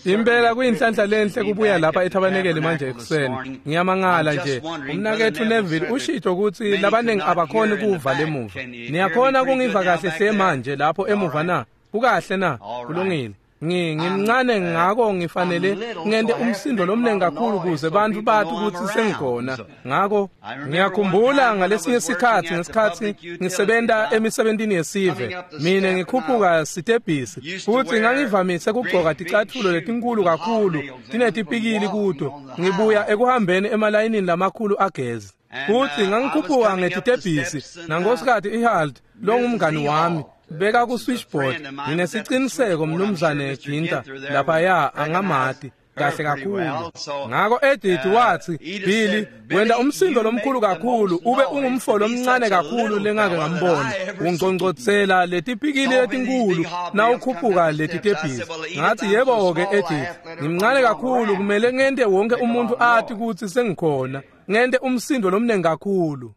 Impela kuyinhlanhla lenhle kubuya lapha ethabanekeli manje ekuseni. Ngiyamangala nje. Umnaketfu Neville ushito kutsi labaningi abakhoni kuva lemuva. Niyakhona kungiva kahle hle manje lapho emuva na? Kukahle na? Kulungile. Ngimncane ngako ngifanele ngente umsindo lomnengi kakhulu kuze bantfu bati kutsi sengikhona. Ngako ngiyakhumbula ngalesinye sikhatsi ngesikhatsi ngisebenta emisebentini yesive, mine ngikhuphuka sitebhisi, futsi ngangivamise kugcoka ticatfulo letinkulu kakhulu tinetipikili kuto, ngibuya ekuhambeni emalayinini lamakhulu agezi. Futsi ngangikhuphuka ngetitebhisi nankosikazi Ihald longumngani wami beka ku switchboard. Nginesiciniseko mnumzane Ginter laphaya angamati kahle kakhulu. Ngako Edith watsi, Billy, wenta umsindo lomkhulu kakhulu, ube ungumfo lomncane kakhulu lengake ngambona. Ungcongcotsela letipikili letinkulu nawukhuphuka letitebhisi. Ngathi, yebo-ke Edith, ngimncane kakhulu, kumele ngente wonke umuntu ati kutsi sengikhona. Ngente umsindo lomnengi kakhulu.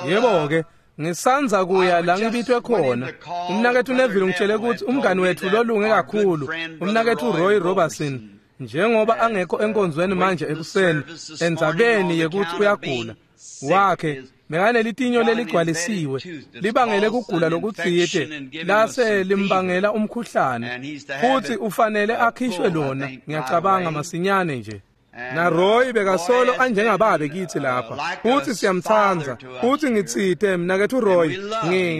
Yebo-ke, ngisanza kuya la ngibitwe khona. Umnaketfu Neville ngitshele kutsi umngani wetfu lolunge kakhulu, umnaketfu Roy Robertson, njengoba angekho enkonzweni manje ekuseni endzabeni yekutsi uyagula wakhe bekanelitinyo leligcwalisiwe libangele kugula lokutsite lase limbangela umkhuhlane, futsi ufanele akhishwe lona, ngiyacabanga masinyane nje. Na Roy bekasolo anjengababe kitsi lapha, futsi siyamtsandza. Futsi ngitsite mnaketfu Roy,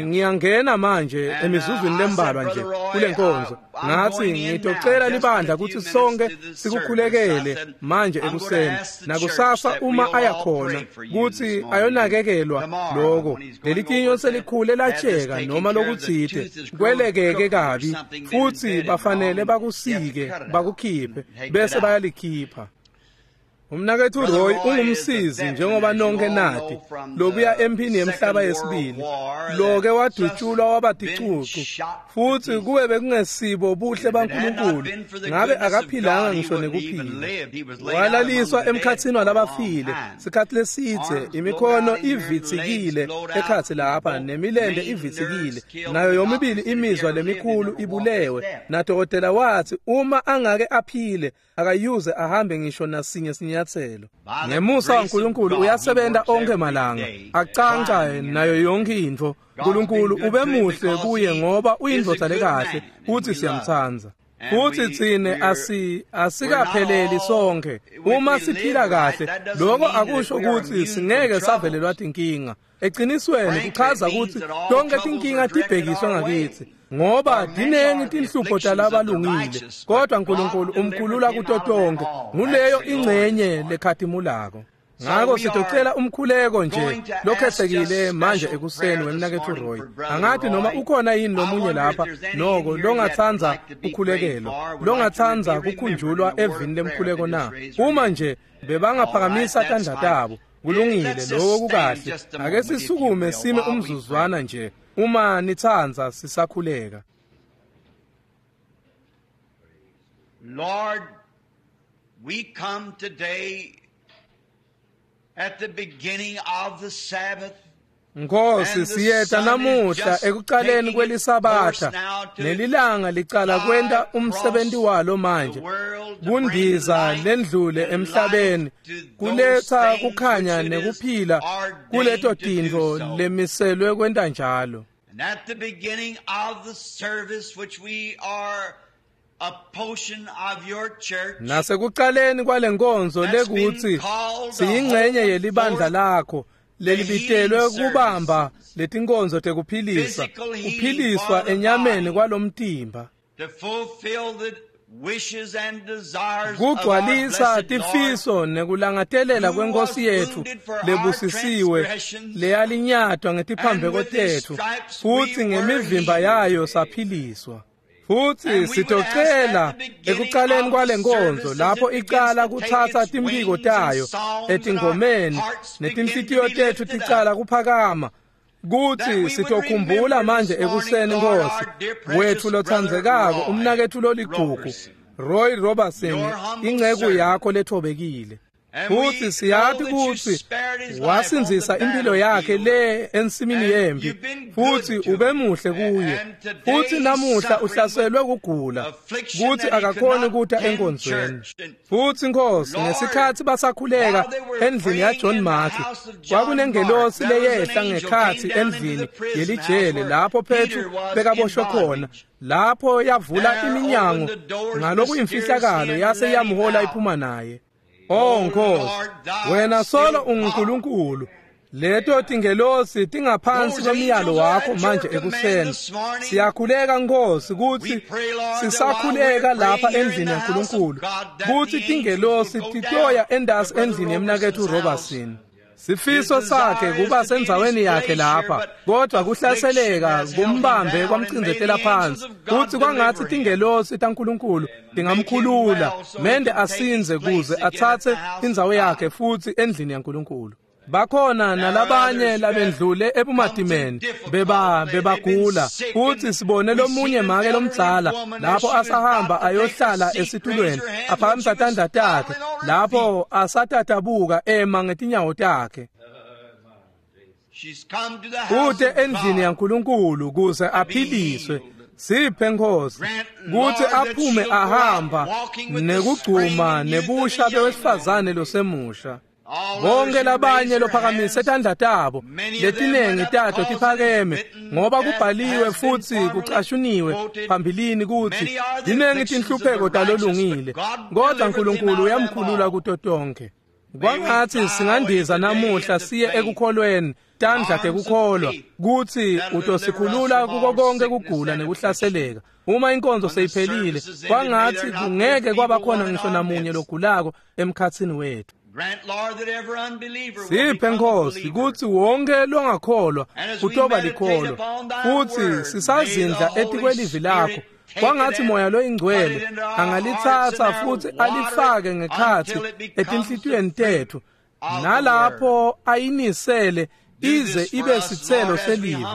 ngiyangena manje emizuzwini lembalwa nje kule nkonzo. Ngathi ngitocela libandla kutsi sonke sikukhulekele manje ekuseni nakusasa uma aya khona kutsi ayonakekelwa loko. Lelitinyo selikhule latsheka noma lokutsite kwelekeke kabi, futsi bafanele bakusike bakukhiphe bese bayalikhipha. Umnaketfu Roy ungumsizi njengoba nonke nati, lobuya emphini yemhlaba yesibili, loke wadutshulwa waba ticucu, futsi kube bekungesibo buhle baNkulunkulu ngabe akaphilanga ngisho nekuphila. Walaliswa emkhatsini walabafile sikhatsi lesidze, imikhono ivitsikile ekhatsi lapha nemilente ivitsikile, nayo yomibili imizwa lemikhulu ibulewe. Nadokotela watsi uma angake aphile akayuze ahambe ngisho nasinye sinyatselo. Ngemusa waNkulunkulu uyasebenza onke malanga, acanca nayo yonke intfo. Nkulunkulu ube muhle kuye ngoba uyindvodza lekahle, futsi siyamtsandza. Futsi tsine asikapheleli sonke. Uma siphila kahle, lokho akusho kutsi singeke savelelwa tinkinga. Eqinisweni kuchaza kutsi tonke tinkinga tibhekiswe ngakitsi, ngoba tinengi tinhlupho talabalungile, kodwa Nkulunkulu umkhulula kuto tonke. Nguleyo ingcenye lekhatimulako. Ngako sitocela umkhuleko nje lokhetsekile manje ekuseni wemnaketfu Roy. Angathi noma ukhona yini lomunye lapha noko longatsandza ukhulekelwa, longatsandza kukhunjulwa evini lemkhuleko na? Uma nje bebangaphakamisa tandla tabo, kulungile, lokho kukahle. Ake sisukume sime umzuzwana nje uma nitsandza sisakhuleka. Lord, we come today at the beginning of the Sabbath. Nkosi, siyeta namuhla ekucaleni kwelisabatha, nelilanga licala kwenta umsebenzi walo manje, kundiza lendlule emhlabeni, kuletha kukhanya nekuphila kuleto tintfo lemiselwe kwenta njalo. And at the beginning of the service which we are a portion of your church, nasekucaleni kwalenkonzo lekutsi siyingcenye yelibandla lakho lelibitelwe kubamba letinkonzo tekuphilisa, kuphiliswa enyameni kwalomtimba, kugcwalisa tifiso nekulangatelela kwenkosi yetfu lebusisiwe leyalinyatwa ngetiphambeko tetfu, futsi ngemivimba yayo saphiliswa. Futsi sitocela ekucaleni kwalenkonzo lapho icala kutsatsa timphiko tayo etingomeni netinhlitiyo tetfu ticala kuphakama, kutsi sitokhumbula manje ekuseni Nkosi wetfu lotsandzekako, umnaketfu loligugu Roy Robertson, inceku yakho lethobekile. Futhi siyati kutsi wasindzisa impilo yakhe le ensimini yempi, futhi ubemuhle kuye. Futhi namuhla uhlaselwe kugula, kutsi akakhoni kuta enkonzweni. Futhi Nkosi, ngesikhatsi basakhuleka endlini yaJohn Mark, kwakunengelosi leyehla ngekhatsi endlini yelijele lapho Petru bekaboshwe khona. Lapho yavula iminyango ngalokuyimfihlakalo yase yamhola iphuma naye. Oh Nkosi, wena solo unguNkulunkulu. Leto tingelosi tingaphansi kwemiyalo wakho manje ekuseni. Siyakhuleka Nkosi kutsi sisakhuleka lapha endlini yaNkulunkulu, kutsi tingelosi titoya endasi endlini yemnaketfu Robertson. Sifiso sakhe kuba sendzaweni yakhe lapha, kodwa kuhlaseleka kumbambe kwamcindzetela phansi. Kutsi kwangatsi tingelosi taNkulunkulu tingamkhulula, mende asinze kuze atsatse indzawo yakhe futsi endlini yaNkulunkulu. Bakhona nalabanye labendlule ebumatimeni bebagula, futhi sibone lomunye make lomdzala lapho asahamba ayohlala esitulweni aphakamisa tandla takhe lapho asatatabuka ema ngetinyawo takhe. Kute endlini yaNkulunkulu kuze aphiliswe. Siphe Nkosi kutsi aphume ahamba nekugcuma nebusha bewesifazane losemusha. Bonke labanye lophakamise tandla tabo, letinengi tato tiphakeme, ngoba kubhaliwe futsi kucashuniwe phambilini kutsi tinengi tinhlupheko talolungile, kodwa Nkulunkulu uyamkhulula kuto tonke. Kwangatsi singandiza namuhla siye ekukholweni, tandla tekukholwa, kutsi utosikhulula kuko konke kugula nekuhlaseleka. Uma inkonzo seyiphelile, kwangatsi kungeke kwaba khona ngisho namunye logulako emkhatsini wethu. Siphe Nkosi kutsi wonke longakholwa utoba likholwa, futsi sisazindla etikwelivi lakho. Kwangatsi Moya loyiNgcwele angalitsatsa futsi alifake ngekhatsi etinhlitiyweni tetfu, nalapho ayinisele ize ibe sitselo selivi.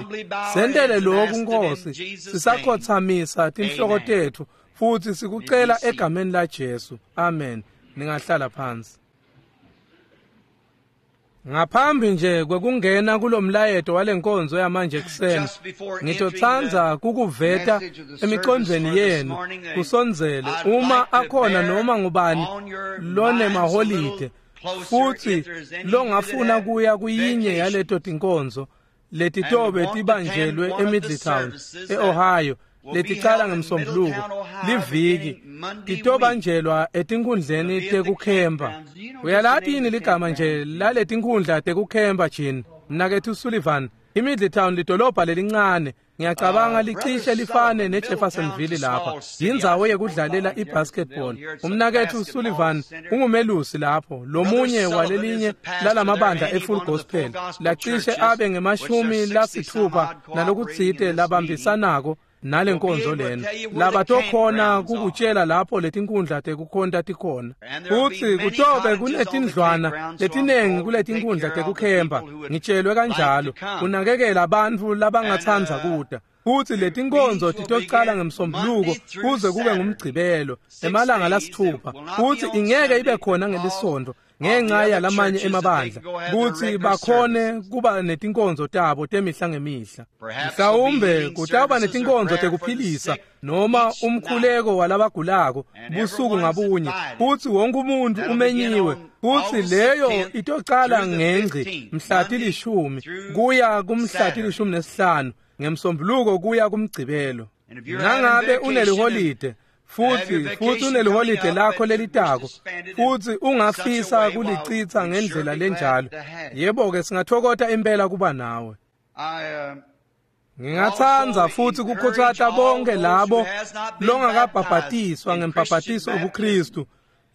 Sentele lokhu Nkosi, sisakhothamisa tinhloko tetfu futsi sikucela egameni laJesu. Amen. Ningahlala phansi. Ngaphambi nje kwekungena kulomlayeto walenkonzo yamanje ekuseni, ngitotsandza kukuveta emicondvweni yenu kusondzele uma akhona noma ngubani lonemaholide futsi longafuna kuya kuyinye yaleto tinkonzo letitobe tibanjelwe eMiddletown, eOhio, leticala ngemsombuluko liviki, titobanjelwa etinkundleni tekukhempa. Uyalati yini ligama nje laletinkhundla tekukhempa, Jean? Mnaketfu Sullivan, iMiddletown lidolobha lelincane, ngiyacabanga licishe lifane neJeffersonville lapha. Yindzawo yekudlalela ibasketball. Umnaketfu Sullivan ungumelusi lapho, lomunye walelinye lalamabandla eFull Gospel, lacishe abe nge-60 nalokutsite labambisanako nalenkonzo lena. Labatokhona kukutshela lapho letinkundla tekukhonta tikhona. Futsi kutobe kunetindlwana letinengi kuletinkundla tekukhempa, ngitshelwe kanjalo, kunakekela bantfu labangatsandza kuta. Futsi letinkonzo titocala ngemsombuluko kuze kube ngumgcibelo, emalanga lasithupha, futsi ingeke ibe khona ngelisonto ngenxa yalamanye emabandla, kutsi bakhone kuba netinkonzo tabo temihla ngemihla. Mhlawumbe kutawuba netinkonzo tekuphilisa noma umkhuleko walabagulako busuku ngabunye, futsi wonke umuntu umenyiwe. Futsi leyo itocala ngengci mhla 10 kuya kumhla 15 ngemsombuluko kuya kumgcibelo. Nangabe uneliholide futhi uneliholide lakho lelitako, futhi ungafisa kulicitsa ngendlela lenjalo, yebo-ke singathokota impela kuba nawe. Ngingatsandza futhi kukhutsata bonke labo longakabhabhatiswa ngembhabhatiso wobuKristu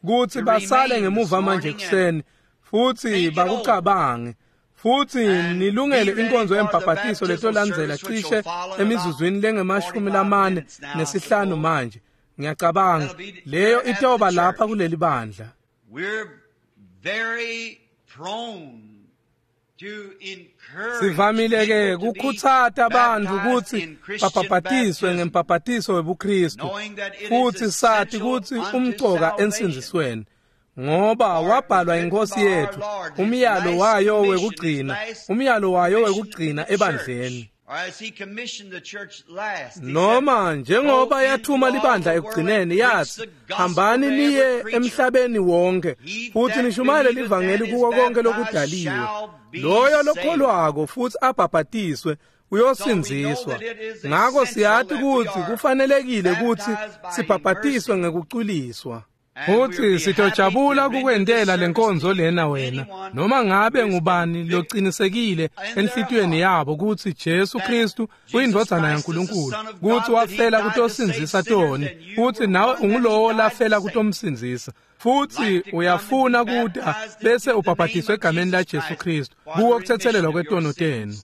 kutsi basale ngemuva manje ekuseni futhi bakucabange, futhi nilungele inkonzo yembhabhatiso letolandzela cishe emizuzwini lengama-45 manje. Ngiyacabanga leyo itoba lapha kuleli bandla. Sivamile ke kukhutsata abantu kutsi babhabhatiswe ngembhabhatiso webuKristu, futhi sati kutsi umcoka ensindzisweni. Ngoba wabhalwa inkosi yethu, umyalo wayo wekugcina, umyalo wayo wekugcina ebandleni. Noma njengoba yathuma libandla ekugcineni yathi, hambani niye emhlabeni wonke futhi nishumayele livangeli kuko konke lokudaliwe. Loyo lokholwako futhi abhabhatiswe uyosindziswa. Ngako siyati kutsi kufanelekile kutsi sibhabhatiswe ngekuculiswa. Futhi sitojabula kukwentela lenkonzo lena wena, noma ngabe ngubani locinisekile enhlitiyweni yabo kutsi Jesu Kristu uyindvodzana yaNkulunkulu, kutsi wafela kutosindzisa toni, futsi nawe ungulowo lafela kutomsindzisa. Futhi uyafuna kuta bese ubhabhatiswe egameni la Jesu Kristu kuwo kuthethelelwa kwetono tenu.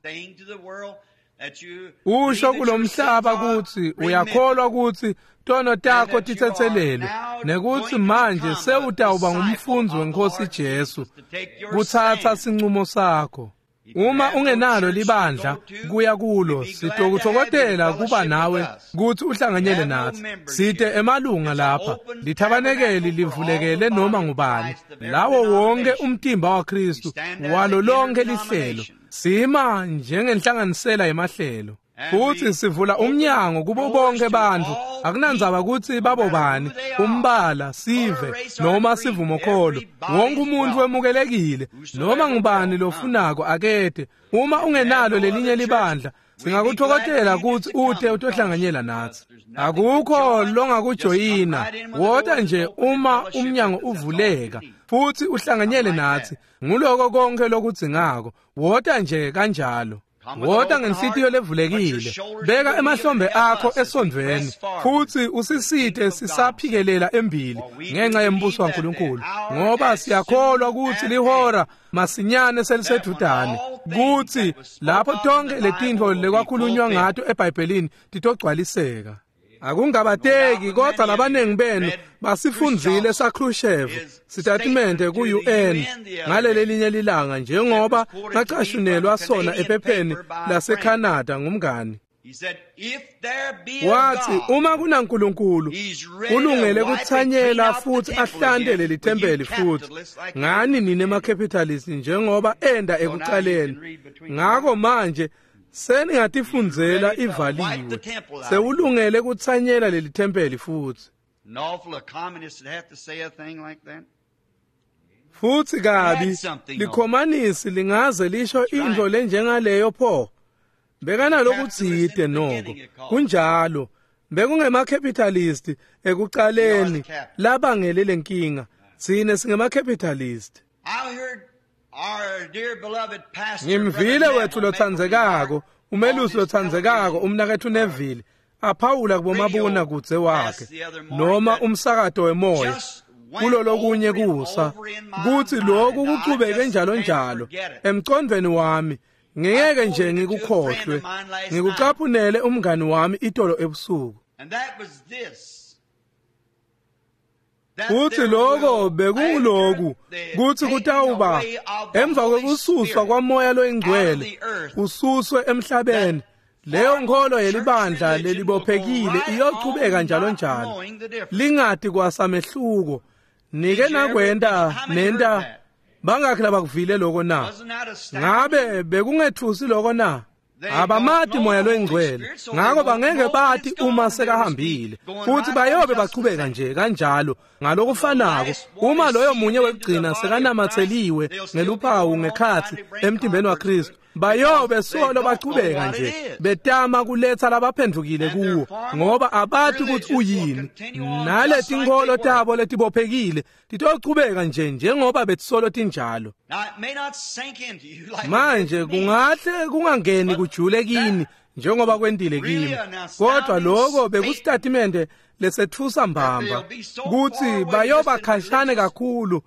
Usho kulomhlaba kutsi uyakholwa kutsi tono takho tithethelelwe nekutsi manje sewutawuba ngumfundzi wenkosi Jesu, kutsatsa sincumo sakho. Uma ungenalo libandla kuya kulo, sitokutfokotela kuba nawe kutsi uhlanganyele natsi. Site emalunga lapha, lithabanekeli livulekele noma ngubani, lawo wonke umtimba waKristu walo lonke lihlelo. Sima njengenhlanganisela yemahlelo. Futhi sivula umnyango kubo bonke bantfu, akunandzaba kutsi babobani, umbala, sive noma sivumokholo. Wonke umuntu wemukelekile, noma ngubani lofunako akete. Uma ungenalo lelinye libandla, singakutfokotela kutsi ute utohlanganyela natsi. Akukho longakujoyina, wota nje uma umnyango uvuleka futhi uhlanganyele natsi. Nguloko konke lokudzingako, wota nje kanjalo. Wota ngenhlitiyo levulekile, beka emahlombe akho esondvweni futhi usisite sisaphikelela embili ngenxa yembuso waNkulunkulu, ngoba siyakholwa kutsi lihora masinyane selisedvutane, kutsi lapho tonke letintfo lekwakhulunywa ngato eBhayibhelini titogcwaliseka. Akungabateki, kodwa labaningi benu basifundzile saKhrushchev sitatimende ku-UN ngalelelinye lilanga, njengoba ngacashunelwa sona ephepheni laseCanada ngumngani. Wathi uma kunaNkulunkulu ulungele kutsanyela futhi ahlante leli thempeli futhi ngani nine ma-capitalist njengoba enda ekucaleni. Ngako manje seningatifundzela ivaliwe, sewulungele kutsanyela leli thempeli futhi. Futhi kabi likhomanisi lingaze lisho intfo lenjengaleyo pho. Bekanalokutsite noko kunjalo, bekungema-capitalist ekucaleni labangele lenkinga. Tsine singema-capitalist. Ngimvile wethu lotsandzekako, umelusi lotsandzekako, umnaketfu Neville, aphawula kubomabona kudze wakhe noma umsakato wemoya kulolokunye kusa, kutsi lokhu kuchubeke njalo njalo emcondvweni wami. Ngeke nje ngikukhohlwe. Ngikucaphunele umngani wami itolo ebusuku. Kuthi lokho bekunguloku kuthi kutawuba emva kwekususwa kwamoya loyingcwele ususwe emhlabeni, leyo nkholo yelibandla lelibophekile iyochubeka njalo njalo, lingati kwasamehluko. Nike nakwenta nenta bangakhi labakuvile lokho na? Ngabe bekungethusi lokho na? Abamati moya loyingcwele, ngako bangeke bati uma sekahambile, futhi bayobe bachubeka nje kanjalo ngalokufanako. Uma loyo munye wekugcina sekanamatseliwe ngeluphawu ngekhatsi emtimbeni waKristu, bayobe solo bachubeka nje betama kuletsa labaphendvukile kuwo, ngoba abati kutsi uyini. Naletinkholo tabo letibophekile titochubeka nje njengoba betisolo tinjalo. Manje kungahle kungangeni kujule kini njengoba kwentile kimi, kodwa lokho bekusitatimende lesetfusa mbamba kutsi bayoba khashane kakhulu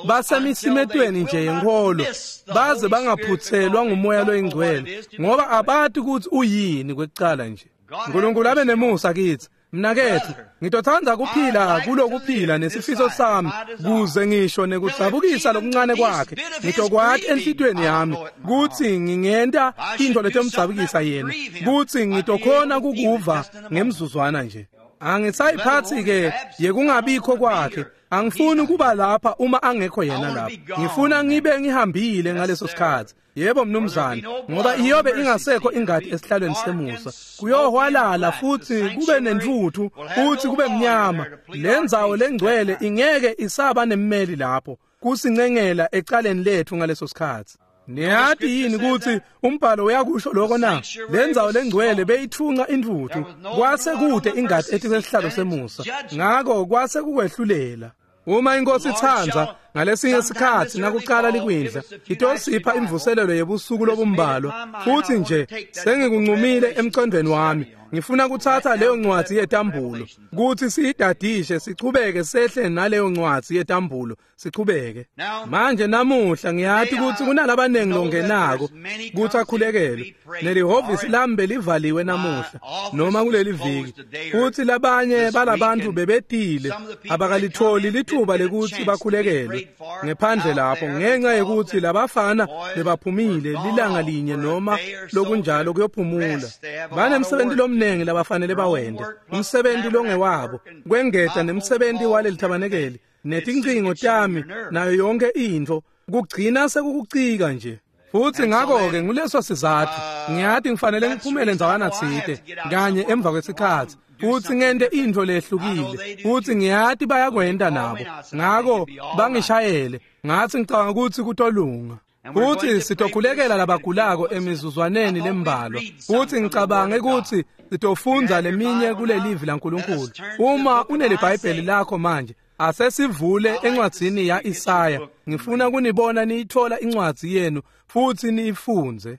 basemisimetweni nje yenkholo, baze bangaphutselwa ngumoya loyingcwele, ngoba abati kutsi uyini kwekucala nje. Nkulunkulu abe nemusa kitsi. Mnaketfu, ngitotsandza kuphila kulokuphila nesifiso sami, kuze ngisho nekudzabukisa lokuncane kwakhe ngitokwati enhlitiyweni yami kutsi ngingenta intfo letomdzabukisa yena, kutsi ngitokhona kukuva ngemzuzwana nje. Angisayiphathi ke yekungabikho kwakhe. Angifuni ukuba lapha uma angekho yena lapha. Ngifuna ngibe ngihambile ngaleso sikhathi. Yebo mnumzane, ngoba iyobe ingasekho ingadi esihlalweni semusa. Kuyohwalala futhi kube nentuthu futhi kube mnyama. Lendzawo lengcwele ingeke isaba nemmeli lapho kusincengela ecaleni lethu ngaleso sikhathi. Niyati yini ukuthi umbhalo uyakusho lokho na? Lendzawo lengcwele beyithunqa intuthu, kwase kude ingadi etikwesihlalo semusa. Ngako kwase kukwehlulela. Uma inkosi itsandza ngalesinye isikhathi nakuqala likwindla itosipha imvuselelo yebusuku lobumbalwa, futhi nje sengikuncumile emcondweni wami ngifuna kuthatha leyo ncwadi yetambulo kuthi siyidadishe sichubeke sehle naleyo ncwadi yetambulo sichubeke. Manje namuhla ngiyathi ukuthi kunalabanengi longenako kuthi akhulekelwe, nelihhovisi lami belivaliwe namuhla noma kuleli viki, futhi labanye balabantu bebetile abakalitholi lithuba lekuthi bakhulekelwe ngephandle lapho ngenxa yokuthi labafana bebaphumile lilanga linye noma lokunjalo kuyophumula. Banemsebenzi lomnengi labafanele bawende, umsebenzi longewabo kwengeta nemsebenzi waleli thabanekeli netincingo tami nayo yonke intfo kugcina sekukucika nje. Futhi ngakho-ke nguleso sizathu ngiyathi ngifanele ngiphumele ndzawana tsite kanye emva kwesikhathi futhi ngente intfo lehlukile, futhi ngiyathi bayakwenta nabo, ngako bangishayele ngathi ngicabanga ukuthi kutolunga. Futhi sitokhulekela labagulako emizuzwaneni lembalwa, futhi ngicabange ukuthi sitofundza leminye kulelivi laNkulunkulu. Uma uneliBhayibheli lakho manje, asesivule encwadzini ya-Isaya. Ngifuna kunibona niyithola incwadzi yenu futhi niyifundze.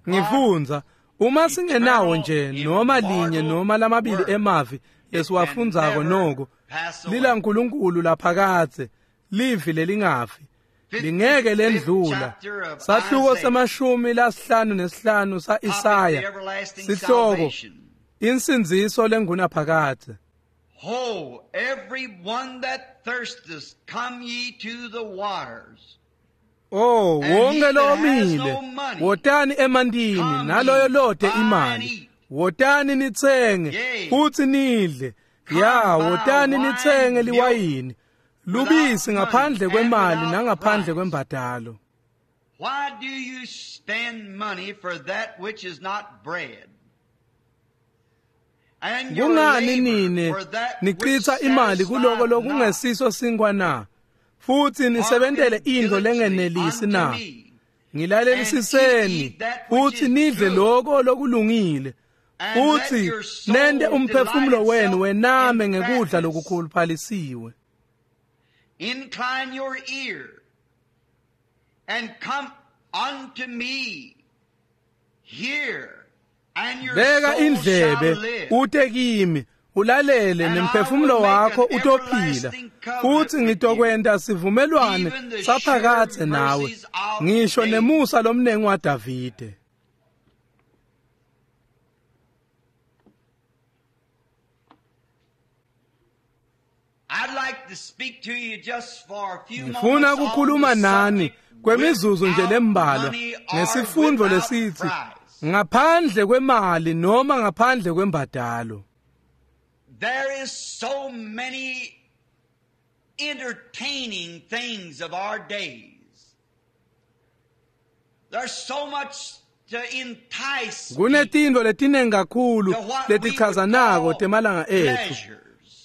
Ngifundza uma singenawo nje noma linye noma lamabili emavi lesiwafundzako noko, lilaNkulunkulu laphakadze, livi lelingafi, lingeke lendlula. Sahluko se-55 sa-Isaya, sihloko insindziso lengunaphakadze. Ho, every one that thirsteth, come ye to the waters. Oh, wonke lomile, wotani emantini, naloyo lode imali, wotani nitsenge futhi nidle. Ya, wotani nitsenge liwayini lubisi ngaphandle kwemali nangaphandle kwembadalo. Why do you spend money for that which is not bread? Kungani nine nichitha imali kuloko lokungesiso sinkwa na? Futhi nisebentele intfo lengenelisi na? Ngilalelisiseni futhi nidle lokho lokulungile, futhi nente umphefumulo wenu wename ngekudla lokukhuluphalisiwe. Incline your ear and come unto me. Hear, and your Beka soul indlebe shall live. ute kimi, ulalele nemphefumulo wakho utophila, futhi ngitokwenta sivumelwane saphakadze nawe, ngisho nemusa lomnengi waDavide. I'd like to speak to you just for a few Ngifuna moments on ukukhuluma the nani subject kwemizuzu nje without lembalwa money or ngesifundo without lesithi price. ngaphandle kwemali noma ngaphandle kwembadalo. There is so many entertaining things of our days. There's so much to entice people Kunetintfo letinengi kakhulu to what we would letichazanako call temalanga ethu. pleasures.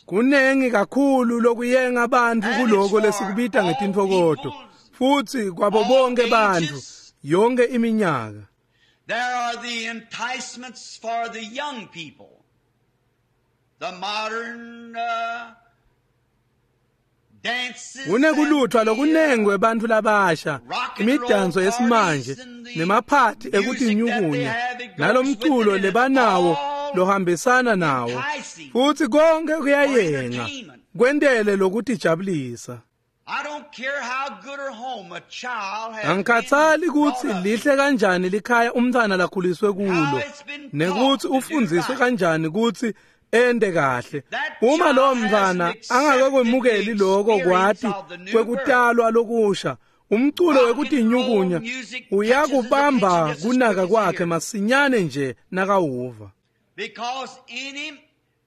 Kunengi kakhulu lokuyenga abantu And kuloko it's for lesikubita all ngetintfokoto, peoples, futhi kwabo all bonke bantfu ages. yonke iminyaka. There are the enticements for the young people. The modern dances Kunekuluthwa and the, lokunengi kwebantfu labasha, rock and roll imidanso yesimanje parties and the nemaphathi music that they ekutinyukunya have, it goes nalomculo with it, and it's lebanawo all lohambisana nawo, enticing futhi konke for kuyayenga entertainment. kwentele lokutijabulisa. I don't care how good or home a child has been Angikhathali brought ukuthi up, lihle kanjani likhaya umntwana lakhuliswe how kulo, it's been taught nekuthi to do ufundziswe right. kanjani ukuthi ende kahle. That Uma child lowo hasn't mntwana accepted angakakwemukeli the lokho experience kwati of the new birth. kwekutalwa lokusha, Umculo wekutinyukunya uyakubamba kunaka kwakhe masinyane nje nakawuva. Because in him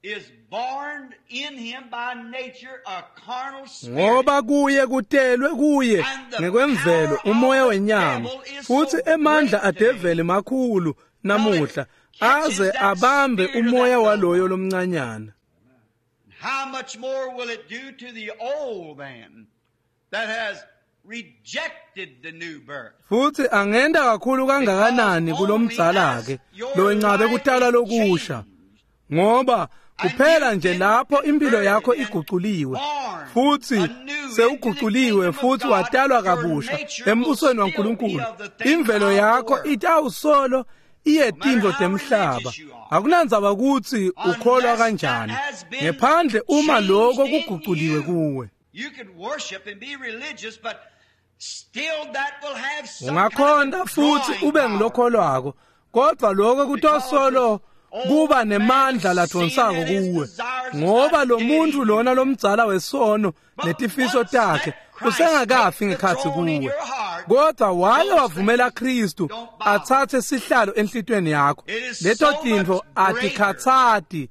is born in him by nature a carnal spirit. Ngoba kuye kutelwe kuye ngekwemvelo umoya wenyama, futhi emandla adeveli makhulu namuhla aze abambe umoya waloyo lomncanyana. How much more will it do to the old man that has rejected the new birth? Futhi angenda kakhulu kangakanani kulomdzala ke lowencabe kutalwa lokusha, ngoba kuphela nje lapho impilo yakho iguculiwe futhi sewuguculiwe futhi watalwa kabusha embusweni waNkulunkulu, imvelo yakho itawusolo iyetindlo temhlaba. Akunandzaba ukuthi ukholwa kanjani, ngephandle uma lokho kuguculiwe kuwe. You could worship and be religious, but still that will have some Ungakhonta kind of futhi drawing ube power. ngilokholwako, kodwa lokho kutosolo kuba nemandla ladonsako kuwe, ngoba lo muntu lona lomdzala wesono netifiso takhe usengakafi ngekhatsi kuwe. Kodwa wake wavumela Kristu athathe sihlalo enhlitweni yakho, leto tintfo atikhatsati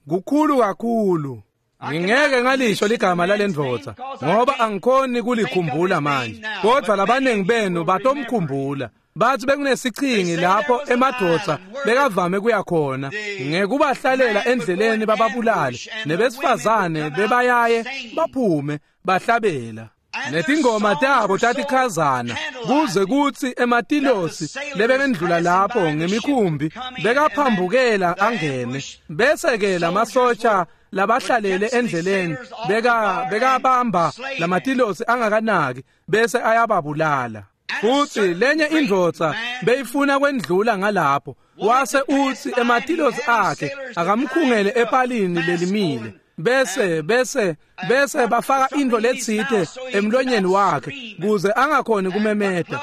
kukhulu kakhulu. Ngingeke ngalisho ligama lalendvodza ngoba angikhoni kulikhumbula manje, kodwa labaningi benu batomkhumbula. Bathi bekunesichingi lapho emadvodza bekavame kuya khona ngekubahlalela endleleni bababulale, nebesifazane bebayaye baphume bahlabela. Netingoma tabo tatikhazana kuze kutsi ematilosi lebekendlula lapho ngemikhumbi bekaphambukela angene, bese-ke lamasosha labahlalele endleleni bekabamba lamatilosi angakanaki bese ayababulala. Futhi lenye indvodza beyifuna kwendlula ngalapho, wase utsi ematilosi akhe akamkhungele epalini lelimile, bese bese bese bafaka intfo letsite emlonyeni wakhe kuze angakhoni kumemeta.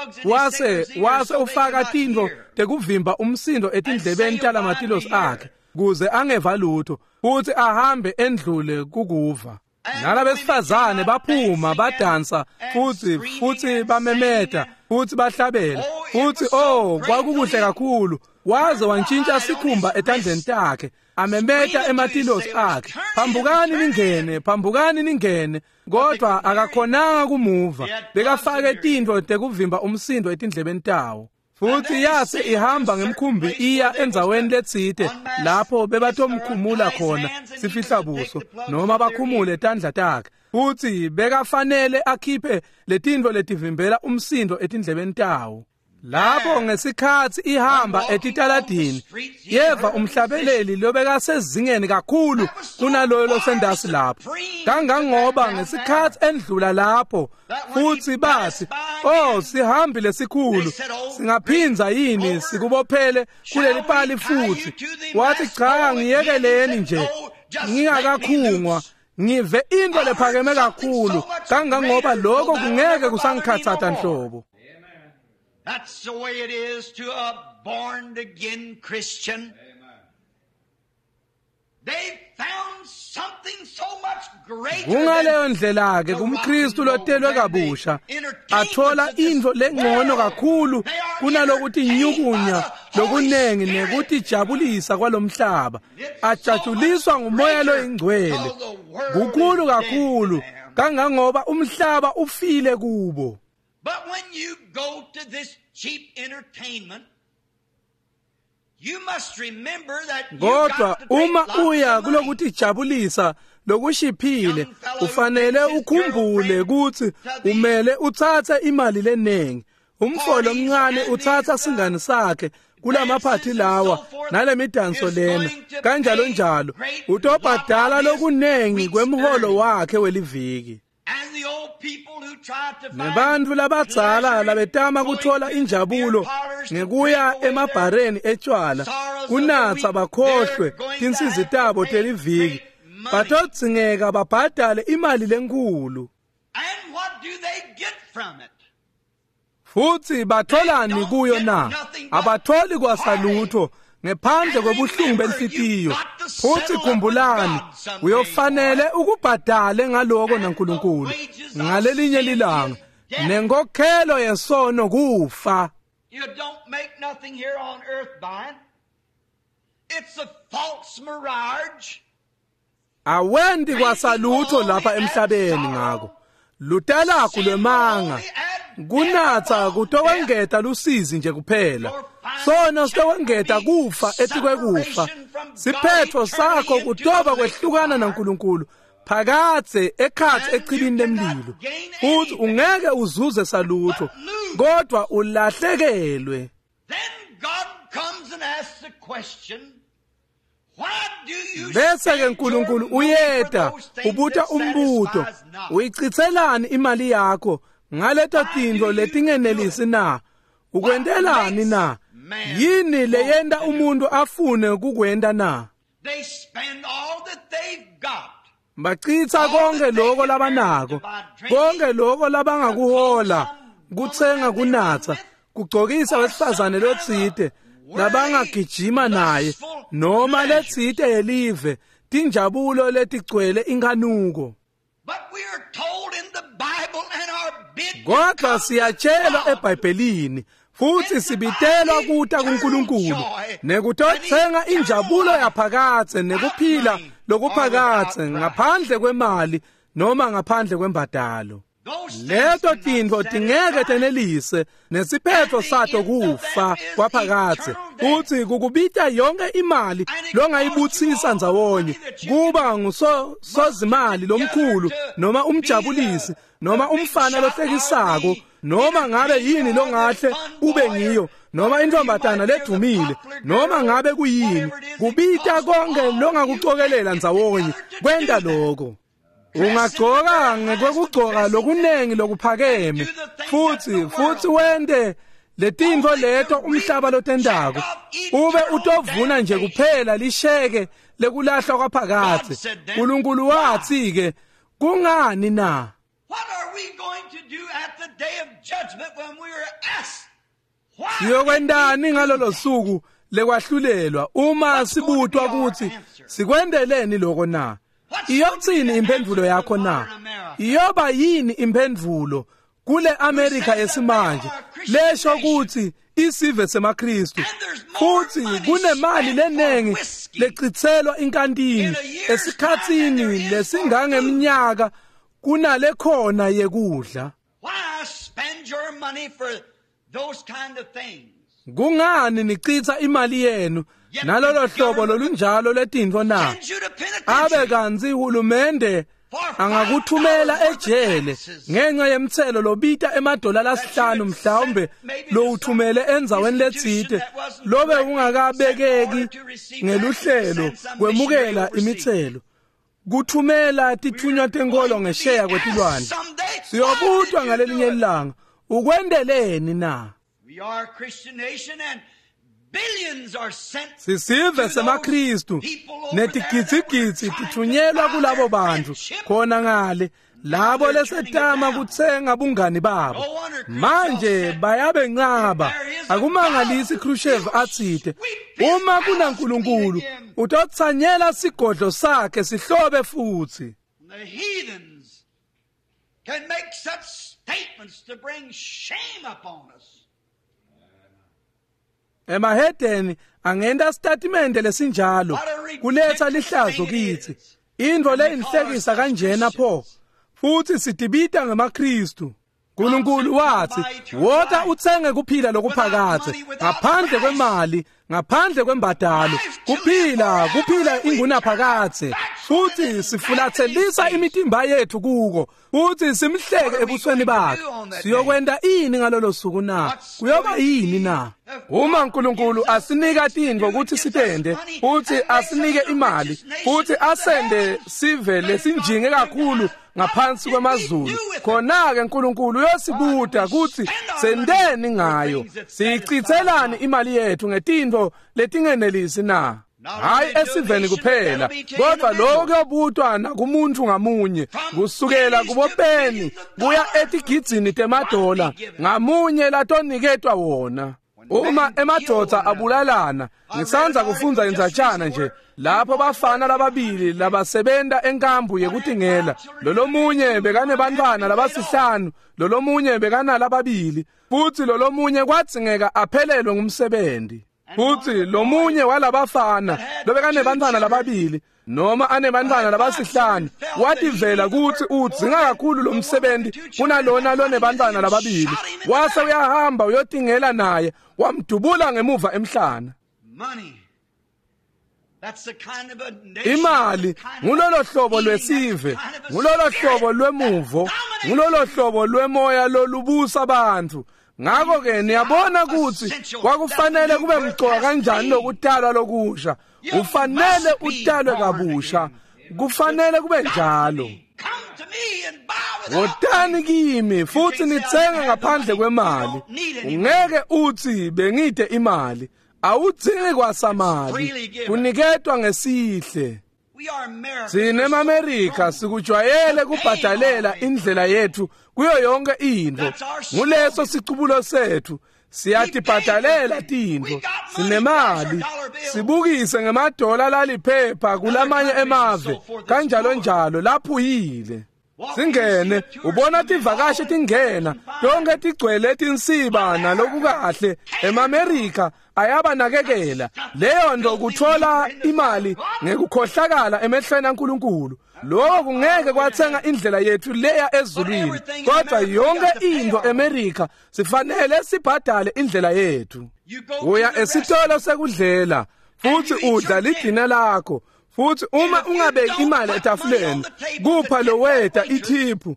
Wase ufaka tintfo tekuvimba umsindo etindlebeni talamatilosi akhe kuze angeva lutho, futhi ahambe endlule kukuva. Nalabesifazane baphuma badansa futhi bamemeta futhi bahlabela futhi oh, kwakukuhle kakhulu. Waze wantshintsha sikhumba etandleni takhe, amemeta ematilosi akhe, phambukani ningene, phambukani ningene. Kodwa akakhonanga kumuva, bekafake tintfo tekuvimba umsindo etindlebeni tawo. Futhi yase ihamba ngemkhumbi iya endzaweni letsite lapho bebatomkhumula khona sifihlabuso noma bakhumule tandla takhe, futhi bekafanele akhiphe letintfo letivimbela umsindo etindlebeni tawo. Lapho ngesikhatsi ihamba etitaladini, yeva umhlabeleli lobekasezingeni kakhulu kunaloyo losendasi lapho, kangangoba ngesikhatsi endlula lapho futhi bathi, oh, sihambi lesikhulu, singaphindza yini sikubophele kuleli pali futhi? Wathi, cha, ngiyekeleni nje, ngingakakhungwa, ngive into lephakeme kakhulu kangangoba lokho kungeke kusangikhathata nhlobo. That's the way it is to a born again Christian. They found something so much greater. Kungaleyo ndlela ke kumKristu lotelwe kabusha, athola intfo lengcono kakhulu kunalokuthi nyukunya lokunengi nekutijabulisa kwalomhlaba, ajatshuliswa ngumoya loyingcwele. Kukhulu kakhulu kangangoba umhlaba ufile kubo. But when you go to this cheap entertainment, you must remember that you Kodwa got to take uma lots of uya money. kulokutijabulisa lokushiphile, ufanele ukhumbule ukuthi umele utsatse imali lenengi. Umfo lomncane utsatsa singani sakhe kulamaphathi lawa nalemidanso lena kanjalo njalo, utobhadala lokunengi kwemholo wakhe weliviki. And the old people who tried to find Nebantfu labadzala pleasure labetama in kuthola going to injabulo beer parlors to ngekuya drink away their emabhareni etshwala kunatsa bakhohlwe tinsizi tabo teliviki, batodzingeka babhadale imali lenkhulu. And what do they get from it? Futhi batholani kuyo na? Abatholi kwasalutho ngephandle kwebuhlungu benhlitiyo. Futhi khumbulani, uyofanele ukubhadale ngaloko naNkulunkulu ngalelinye lilanga. Nenkokhelo yesono kufa. You don't make nothing here on earth by it. It's a false mirage. Awendi kwasalutho lapha emhlabeni ngako. Lutalaku lwemanga. Kunatsa kutokwengeta lusizi nje kuphela. Sono sitokwengeta kufa etikwekufa. Siphetho sakho kutoba kwehlukana naNkulunkulu phakathe ekhatsi echibini lemlilo. Futhi ungeke uzuze salutho kodwa ulahlekelwe. Then God comes and asks the question, Bese ke uNkulunkulu uyeta ubuta umbuto, uyichithelani imali yakho ngaleto tintfo letingenelisi na? Ukwentelani na? Yini leyenta umuntu afune kukwenta na? They spend all that they've got. Bachitha konke lokho labanako, konke lokho labangakuhola, kutsenga kunatsa, kugcokisa wesifazane lotsite labangagijima naye noma letsite yelive, tinjabulo letigcwele inkanuko. But we are told in the Bible and are bid to Kodwa come siyatshelwa to God. eBhayibhelini futhi sibitelwa kuta kuNkulunkulu nekutotsenga injabulo yaphakadze nekuphila lokuphakadze ngaphandle kwemali noma ngaphandle kwembadalo. Those things Leto cannot tintfo tingeke satisfy. tenelise nesiphetho sato kufa kwaphakadze futhi kukubita yonke imali longayibutsisa ndzawonye kuba ngusozimali lomkhulu noma umjabulisi noma umfana lohlekisako noma ngabe yini longahle ube ngiyo noma intombatana ledumile noma ngabe kuyini, kubita konke longakucokelela ndzawonye kwenta lokho. Ungagcoka ngekwekugcoka lokunengi lokuphakeme futhi wente letintfo leto umhlaba lotentako, ube utovuna nje kuphela lisheke lekulahlwa kwaphakadze. uNkulunkulu wathi ke, kungani na? What are we going to do at the day of judgment when we are asked, why Siyokwentani ngalolo suku lekwahlulelwa uma sibutwa ukuthi sikwendeleni lokho na? Iyothini imphendvulo yakho na? Iyoba yini imphendvulo kule America yesimanje lesho ukuthi isive semaKristu futhi kunemali lenengi lechithelwa inkantini esikhatsini lesingangeminyaka kunale khona yekudla? Why spend your money for those kind of things? Kungani nichitha imali yenu nalolo hlobo lolunjalo letintfo na? Send you to Abe penitentiary kantsi hulumende angakuthumela ejele ngenxa yemtselo lobita emadola lasihlanu mhlawumbe lowuthumele endzaweni letsite lobe ungakabekeki ngeluhlelo kwemukela imitselo, kuthumela tithunywa tenkolo ngesheya kwetilwandle. Siyobutwa ngalelinye ilanga, ukwendeleni na? We are a Christian nation and billions are sent Sisive semaKristu netigidzigidzi tithunyelwa kulabo bantu khona ngale labo lesetama kutsenga bungani babo. Manje bayabencaba. Akumangalisi Khrushchev atsite, uma kunaNkulunkulu utotsanyela sigodlo sakhe sihlobe futhi. The heathens can make such statements to bring shame upon us. Emahedeni angenta sitatimende lesinjalo kuletha lihlazo kithi. Intfo leyinhlekisa kanjena pho, futhi sitibita ngemaKristu. uNkulunkulu wathi, wota utsenge kuphila lokuphakadze ngaphandle kwemali, ngaphandle kwembadalo, kuphila, kuphila ingunaphakadze. Futhi sifulathelisa imitimba yethu kuko futhi simhleke ebusweni bakhe. Siyokwenta ini ngalolo suku na? Kuyoba yini na? Uma uNkulunkulu asinika tintfo ukuthi sitende futhi asinike imali futhi asende sive lesinjinge kakhulu ngaphansi kwemazulu, khona-ke uNkulunkulu uyosibuta kutsi senteni ngayo, siyichithelani imali yethu ngetintfo letingenelisi na? Hayi esiveni kuphela, kodwa lokho kuyobutwa nakumuntu ngamunye, kusukela kubopeni kuya etigidzini temadola ngamunye latoniketwa wona. Uma emadvodza abulalana, ngisandza kufundza indzatshana nje lapho bafana lababili labasebenta enkambu yekutingela. Lolomunye bekanebantfwana labasihlanu, lolomunye bekanalababili, futsi lolomunye kwadzingeka aphelelwe ngumsebenzi. Futsi lomunye walabafana lobekanebantfwana lababili noma anebantfwana labasihlanu wativela kutsi udzinga kakhulu lo msebenzi kunalona lonebantfwana lababili, wase uyahamba uyotingela naye, wamdubula ngemuva emhlana. Imali ngulolo hlobo lwesive, ngulolo hlobo lwemuvo, ngulolo hlobo lwemoya lolubusa abantu. Ngakho-ke niyabona kutsi kwakufanele kube mcoka kanjani lokutalwa lokusha. Ufanele utalwe kabusha, kufanele kube njalo. Wotani kimi futhi nitsenge ngaphandle kwemali. Ungeke uthi bengide imali, awudzingi kwasamali, kuniketwa ngesihle. Sine emaMerika sikujwayele kubhadalela indlela yethu kuyo yonke intfo. Nguleso sicubulo sethu, siyatibhadalela tintfo, sinemali, sibukise ngemadola laliphepha kulamanye emave kanjalo njalo laphuyile. Singene ubona tivakashi tingena tonke tigcwele tinsiba nalokukahle. EmaMerika ayabanakekela leyo nto, kuthola imali ngekukhohlakala emehlweni aNkulunkulu. Lokho kungeke kwathenga indlela yethu leya ezulwini, kodwa yonke into eMerika sifanele sibhadale indlela yethu. Uya esitolo sekudlela futhi udla lidina lakho, futhi uma ungabeki imali etafuleni kupha loweta ithiphu,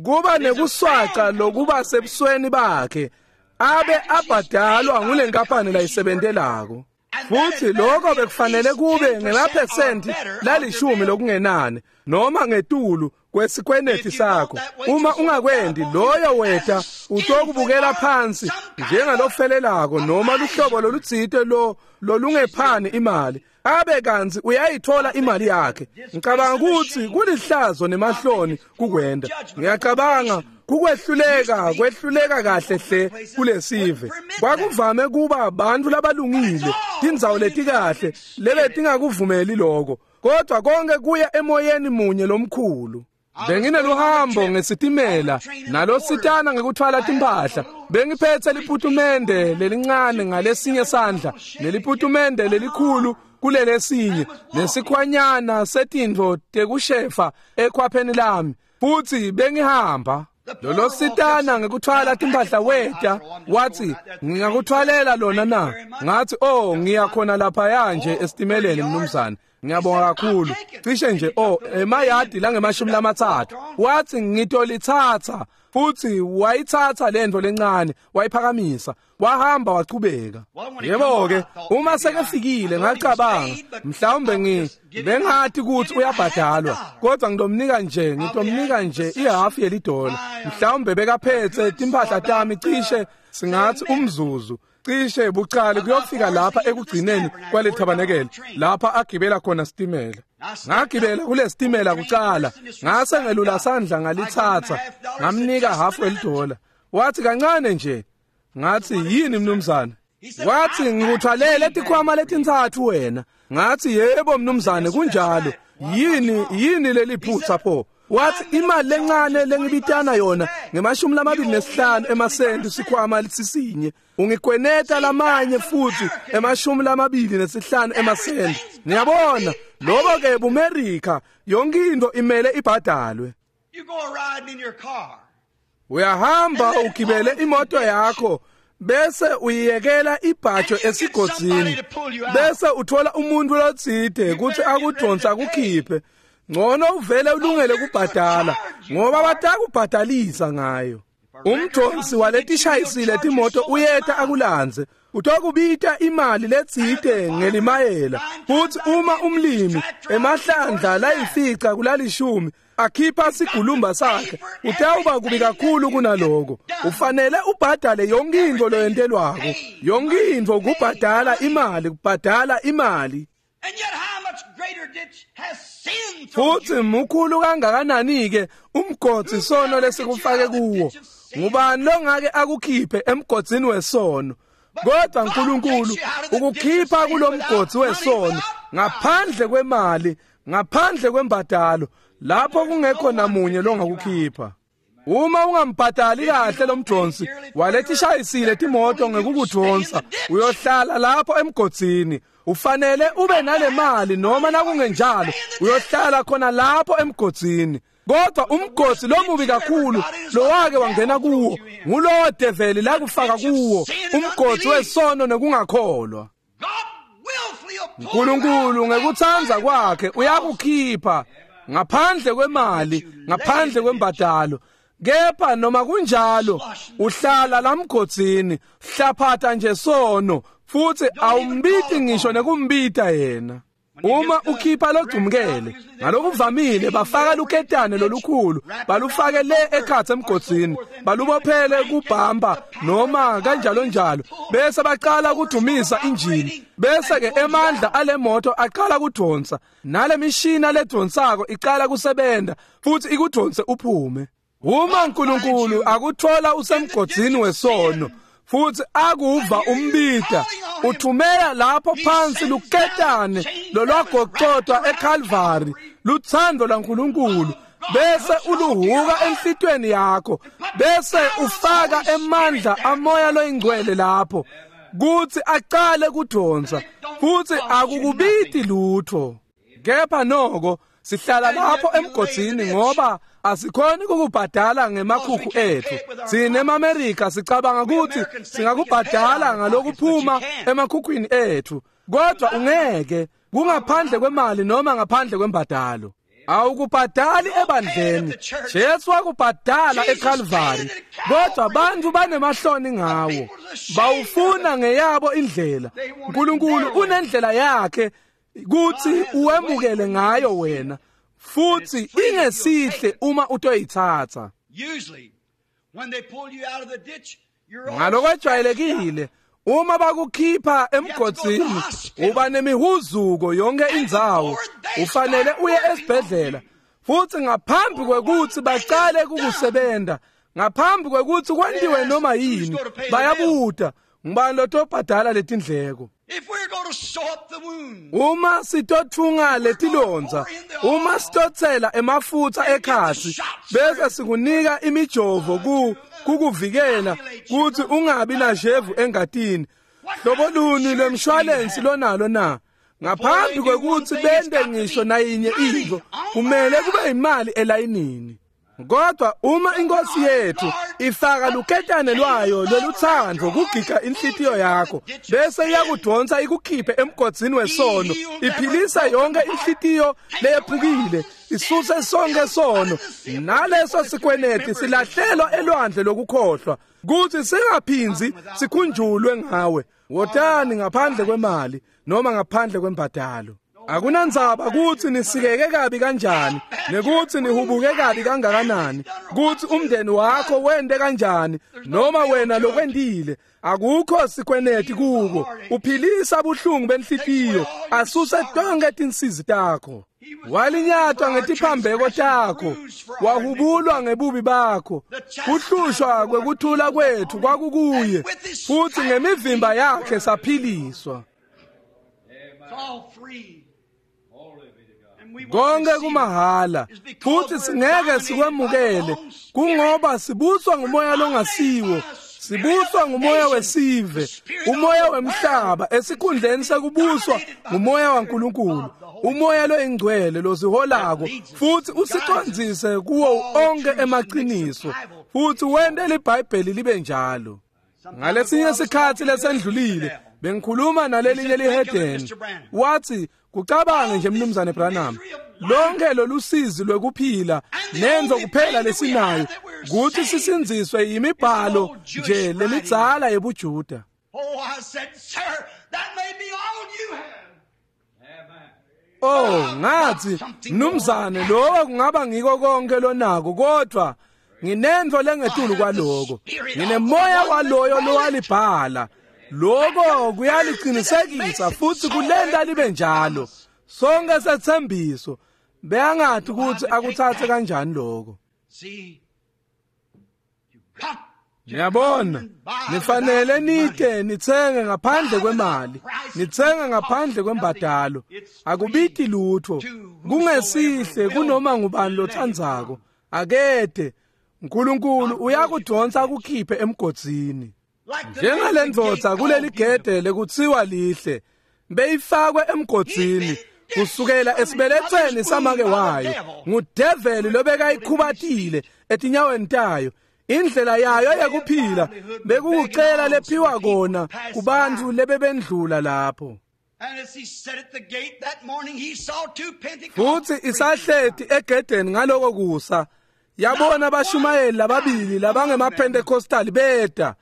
kuba nekuswaca lokuba sebusweni bakhe abe abhadalwa ngulenkampani layisebentelako. Futhi lokho bekufanele kube ngemaphesenti lalishumi lokungenane noma ngetulu kwesikweneti sakho. Uma ungakwendi, loyo weta utokubukela phansi njengalofelelako noma luhlobo lolutsite lo lolungephani imali, abe kantsi uyayithola imali yakhe. Ngicabanga ukuthi kulihlazo nemahloni kukwenda. Ngiyacabanga kukwehluleka, kwehluleka kahle hle kulesive. Kwakuvame kuba abantu labalungile, tindzawo letikahle lebetingakuvumeli lokho, kodwa konke kuya emoyeni munye lomkhulu. Bengineluhambo ngesitimela nalositana ngekuthwala timphahla. Bengiphethe liputumende lelincane ngalesinye sandla neliputumende lelikhulu kulelesinye, nesikhwanyana setintfo tekushefa ekhwapheni lami, futhi bengihamba. Lolo sitana ngekuthwala timphahla weta wathi, ngingakuthwalela lona na? Ngathi, oh, ngiyakhona laphaya nje esitimeleni mnumzane, ngiyabonga kakhulu. Cishe nje oh emayadi langemashumi lamathathu. Wathi, ngitolithatha. Futhi wayithatha lento lencane wayiphakamisa, wahamba wachubeka. Yebo-ke, uma sekefikile ngacabanga mhlawumbe bengathi ukuthi uyabhadalwa, kodwa ngitomnika nje ihafu yelidola. Mhlawumbe bekaphethe timphahla tami cishe singathi umzuzu, cishe bucala kuyofika lapha ekugcineni kwale thabanekele lapha agibela khona sitimela. Ngagibela kule sitimela kucala, ngase ngelula sandla ngalithatha, ngamnika hafu elidola. Wathi, kancane nje. Ngathi, yini mnumzane? Wathi, ngikuthwalele tikhwama letintsatfu wena. Ngathi, yebo mnumzane, kunjalo. Yini leli phutha pho? Wathi, imali lencane lengibitana yona ngemashumi lamabili nesihlanu emasenti sikhwama sisinye, ungikweneta lamanye futhi emashumi lamabili nesihlanu emasenti. Niyabona, lobo ke buMerika, yonke into imele ibhadalwe. Uyahamba ugibele imoto yakho bese uyiyekela ibhajo esigodzini, bese uthola umuntu lotsite kutsi akudonsa akukhiphe. Ngcono uvele ulungele kubhadala ngoba batakubhadalisa ngayo. Umdonsi waletishayisile timoto uyeta akulandze, utokubita imali letsite ngelimayela. Futhi uma umlimi emahlandla layifica kulalishumi akhipha sigulumba sakhe, utawuba kubi kakhulu kunaloko. Ufanele ubhadale yonke intfo loyentelwako, yonke intfo kubhadala imali, kubhadala imali. Futhi mkhulu kangakanani ke umgodzi sono lesikufake kuwo? Ngubani longake akukhiphe emgodzini wesono? Kodwa uNkulunkulu ukukhipha kulomgodzi wesono ngaphandle kwemali, ngaphandle kwembadalo, lapho kungekho namunye longakukhipha. Uma ungambhadali kahle lomdonsi walethi shayisile timoto ngekukudonsa, uyohlala lapho emgodzini. Ufanele ube nale mali, noma nakungenjalo uyohlala khona lapho emgodzini. Kodwa umgodzi lomubi kakhulu lowake wangena kuwo ngulowo develi lakufaka kuwo, umgodzi wesono nekungakholwa. uNkulunkulu ngekutsandza kwakhe uyakukhipha ngaphandle kwemali, ngaphandle kwembadalo. Kepha noma kunjalo uhlala lamgodzini, hlaphata nje sono, futhi awumbiti ngisho nekumbita yena. Uma ukhipha logcumkele, ngalokuvamile bafaka luketane lolukhulu, balufake le ekhatsi emgodzini, balubophele kubhamba noma kanjalo njalo, bese baqala kudumisa injini, bese ke emandla ale moto aqala kudonsa, nale mishina ledonsako iqala kusebenza futhi ikudonse uphume. Uma uNkulunkulu akuthola usemgodzini wesono futhi akuva umbida, uthumela lapho phansi luketane lolwagocotwa eCalvary, luthando lwaNkulunkulu, bese uluhuka enhlitweni yakho, bese ufaka emandla amoya loyingcwele lapho kuthi aqale kudonsa, futhi akukubiti lutho. Kepha noko sihlala lapho emgodzini ngoba asikhoni ukubhadala ngemakhukhu ethu. Sine emaMerika sicabanga ukuthi singakubhadala ngalokuphuma emakhukhwini ethu, kodwa ungeke, kungaphandle kwemali noma ngaphandle kwembadalo. Awukubhadali ebandleni, Jesu wakubhadala eCalvary, kodwa abantu banemahloni ngawo, bawufuna ngeyabo indlela. uNkulunkulu unendlela yakhe kuthi uwemukele ngayo wena, futhi ingesihle uma utoyithatha. Ngalokwejwayelekile uma bakukhipha emgodzini uba nemihuzuko yonke indzawo, ufanele uye esibhedlela, futhi ngaphambi kwekuthi baqale kukusebenta, ngaphambi kwekuthi kwentiwe noma yini, bayabuta ngibani lotobhadala letindleko. Uma sitothunga letilonza, uma sitotsela emafutha ekhasi, bese sikunika imijovo kukuvikela kuthi ungabi nashevu engatini, hlobo luni lwemshwalensi lonalo na? Ngaphambi kwekuthi bente ngisho nayinye into, kumele kube imali elayinini. Kodwa uma inkosi yethu ifaka luketane lwayo loluthando kugiga inhlitiyo yakho, bese iyakudonsa ikukhiphe emgodzini wesono, iphilisa yonke inhlitiyo leyephukile, isuse sonke sono, naleso sikweneti silahlelwa elwandle lokukhohlwa, kuthi singaphindzi sikhunjulwe ngawe. Wotani ngaphandle kwemali noma ngaphandle kwembadalo. Akunandzaba kuthi nisikeke kabi kanjani, nekuthi nihubuke kabi kangakanani, kuthi umndeni wakho wende kanjani, noma wena lokwendile, akukho sikweneti kuko. Uphilisa buhlungu benhlitiyo, asuse tonke tinsizi takho. Walinyatwa ngetiphambeko takho, wahubulwa ngebubi bakho. Kuhlushwa kwekuthula kwethu kwakukuye, futhi ngemivimba yakhe saphiliswa. Konke kumahala, futhi singeke sikwemukele, kungoba sibuswa ngumoya longasiwo, sibuswa ngumoya wesive, umoya wemhlaba, esikhundleni sekubuswa ngumoya waNkulunkulu, umoya loyingcwele losiholako futhi usicondzise kuwo onke emaqiniso, futhi wente liBhayibheli libe njalo. Ngalesinye sikhathi lesendlulile bengikhuluma nalelinye lihedeni, wathi, kucabange nje mnumzane Branham, lonke lolusizi lwekuphila nenzo kuphela lesinayo kuthi sisinziswe yimibhalo nje lemidzala yebuJuda. Oh, ngathi, mnumzane, lokho kungaba ngiko konke lonako, kodwa nginento lengetulu kwaloko, nginemoya waloyo lowalibhala. Lokho kuyaliqinisekisa futhi kulenta libe njalo. Sonke sethembiso beyangathi ukuthi akuthathe kanjani lokho. Niyabona, nifanele nite nitsenge ngaphandle kwemali, nitsenge ngaphandle kwembadalo. Akubiti lutho, kungesihle kunoma ngubani lotsandzako. Akete, uNkulunkulu uyakudonsa akukhiphe emgodzini. Njengale ndvodza kuleli gede lekutsiwa lihle, beyifakwe emgodzini kusukela esibelethweni samake wayo ngudeveli lobekayikhubatile etinyaweni tayo. Indlela yayo yekuphila bekukucela lephiwa kona kubantfu lebebendlula lapho. Futsi isahleti egedeni ngaloko kusa, yabona abashumayeli lababili labangemaPentecostal beta.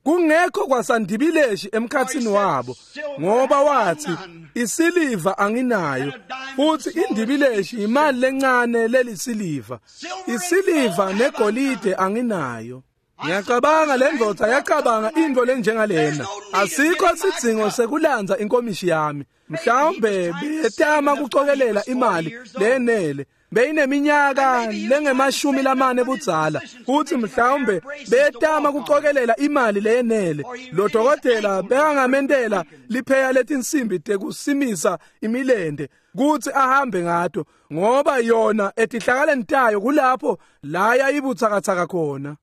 Kungekho kwasandibileshi emkhatsini wabo, ngoba wathi isiliva anginayo, futhi indibileshi imali lencane lelisiliva, isiliva negolide anginayo. Ngiyacabanga le ndvodza yacabanga into lenjengalena, asikho sidzingo sekulandza inkomishi yami. Mhlawumbe betama kucokelela imali lenele, beyineminyaka lengemashumi lamane budzala, futhi mhlawumbe betama kucokelela imali leyenele. Lo dokotela bekangamentela lipheya letinsimbi tekusimisa imilente kutsi ahambe ngato, ngoba yona etihlakaleni tayo kulapho la yayibutsakatsaka khona.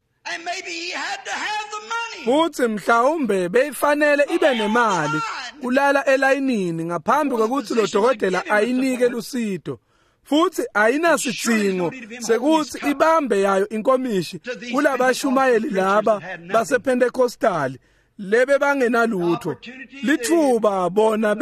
Futhi mhlawumbe beyifanele ibe nemali kulala elayinini ngaphambi kwekutsi lo dokotela ayinike lusito. Futhi ayinasidzingo sekuthi ibambe yayo inkomishi kulabashumayeli laba basePentecostal lebe bangenalutho. Lithuba bona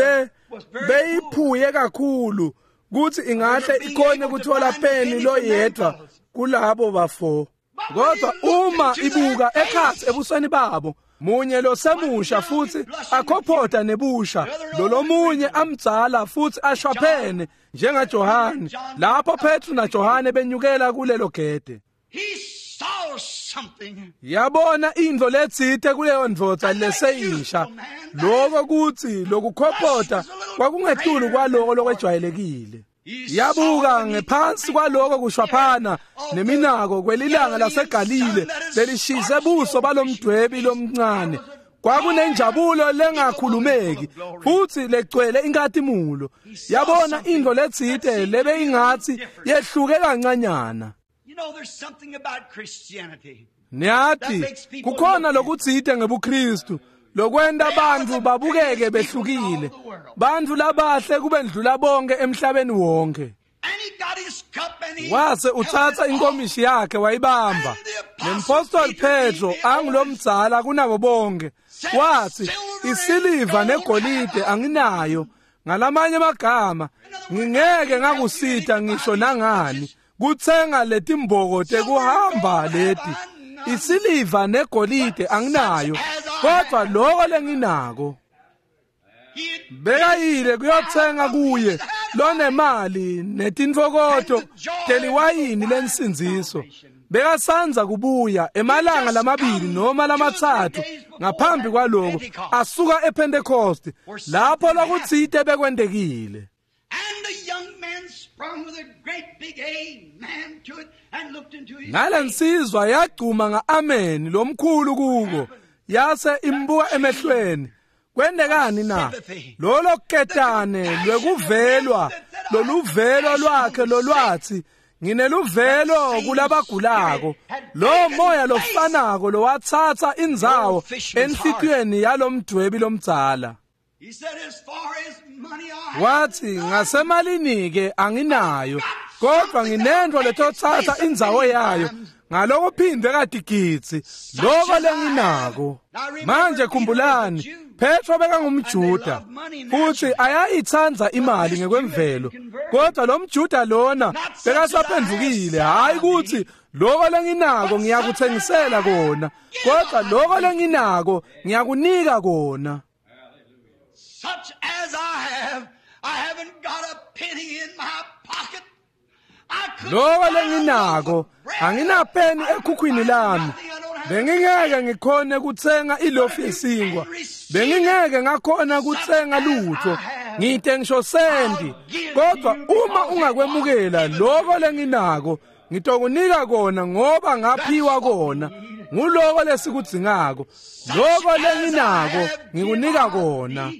beyiphuye kakhulu kuthi ingahle ikhone kuthola peni loyedwa kulabo bafo. Kodwa uma ibuka ekhatsi ebusweni babo, munye losemusha futhi akhophota nebusha, lolomunye amdzala futhi ashwaphene njengaJohane, lapho Petru naJohane benyukela kulelo gede. Yabona intfo letsite kuleyo ndvodza leseyisha, lokho kutsi lokukhophota kwakungetulu kwaloko lokwejwayelekile. Yabuka ngephansi kwaloko kushwaphana neminako kwelilanga laseGalile lelishise buso balomdwebi lomncane. Kwakunenjabulo lengakhulumeki futhi legcwele inkatimulo. Yabona intfo letsite lebeyingatsi yehluke kancanyana. Niyathi kukhona lokutsite ngebuKristu lokwenta bantfu babukeke behlukile, bantfu labahle kubendlula bonke emhlabeni wonke. Wase utsatsa inkomishi yakhe wayibamba. Nempostoli Petro angulomdzala kunabo bonke wathi, isiliva negolide anginayo, ngalamanye amagama ngingeke ngakusita ngisho nangani kutsenga letimboko tekuhamba leti. Isiliva negolide anginayo, kodwa lokho lenginako. Bekayile kuyotsenga kuye lonemali netintfokoto teliwayini lensindziso. Bekasanza kubuya emalanga lamabili noma lamatsatfu ngaphambi kwaloko, asuka ePentecost lapho lokutsite bekwentekile. Nalensizwa yagcuma nga-ameni lomkhulu kuko, yase imbuka emehlweni. Kwendekani na? Lolo ketane lwekuvelwa, loluvelo lwakhe lolwathi ngineluvelo kulabagulako. Lo moya lofanako lowatsatsa indzawo enhlitiyweni yalomdwebi lomdzala. Wathi ngasemalini-ke anginayo, kodwa nginento letotsatsa indzawo yayo ngalokuphindwe katigidzi loko lenginako. Manje khumbulani, Petro bekangumJuda futhi ayayitsandza imali ngekwemvelo, kodwa lo mJuda lona bekasaphendvukile. Hayi ukuthi loko lenginako ngiyakuthengisela kona, kodwa loko lenginako ngiyakunika kona. Such as I have, I haven't got a penny in my pocket. Loko lenginako anginapeni ekhukhwini lami. Bengingeke ngikhone kutsenga ilofu yesinkwa, bengingeke ngakhona kutsenga lutho, ngite ngisho sendi. Kodwa uma ungakwemukela loko lenginako, ngitokunika kona ngoba ngaphiwa kona. Nguloko lesikudzingako. Loko lenginako ngikunika kona.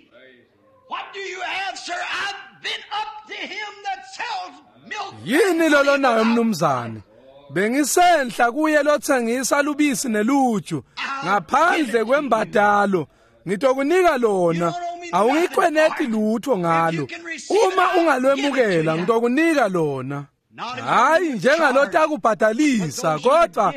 Yini lolonayo mnumzane? Bengisenhla kuye lotsengisa lubisi neluju ngaphandle kwembadalo. Ngitokunika lona. Awungikweneti lutho ngalo. Uma ungalwemukela ngitokunika lona. Hayi njengalotakubhadalisa, kodwa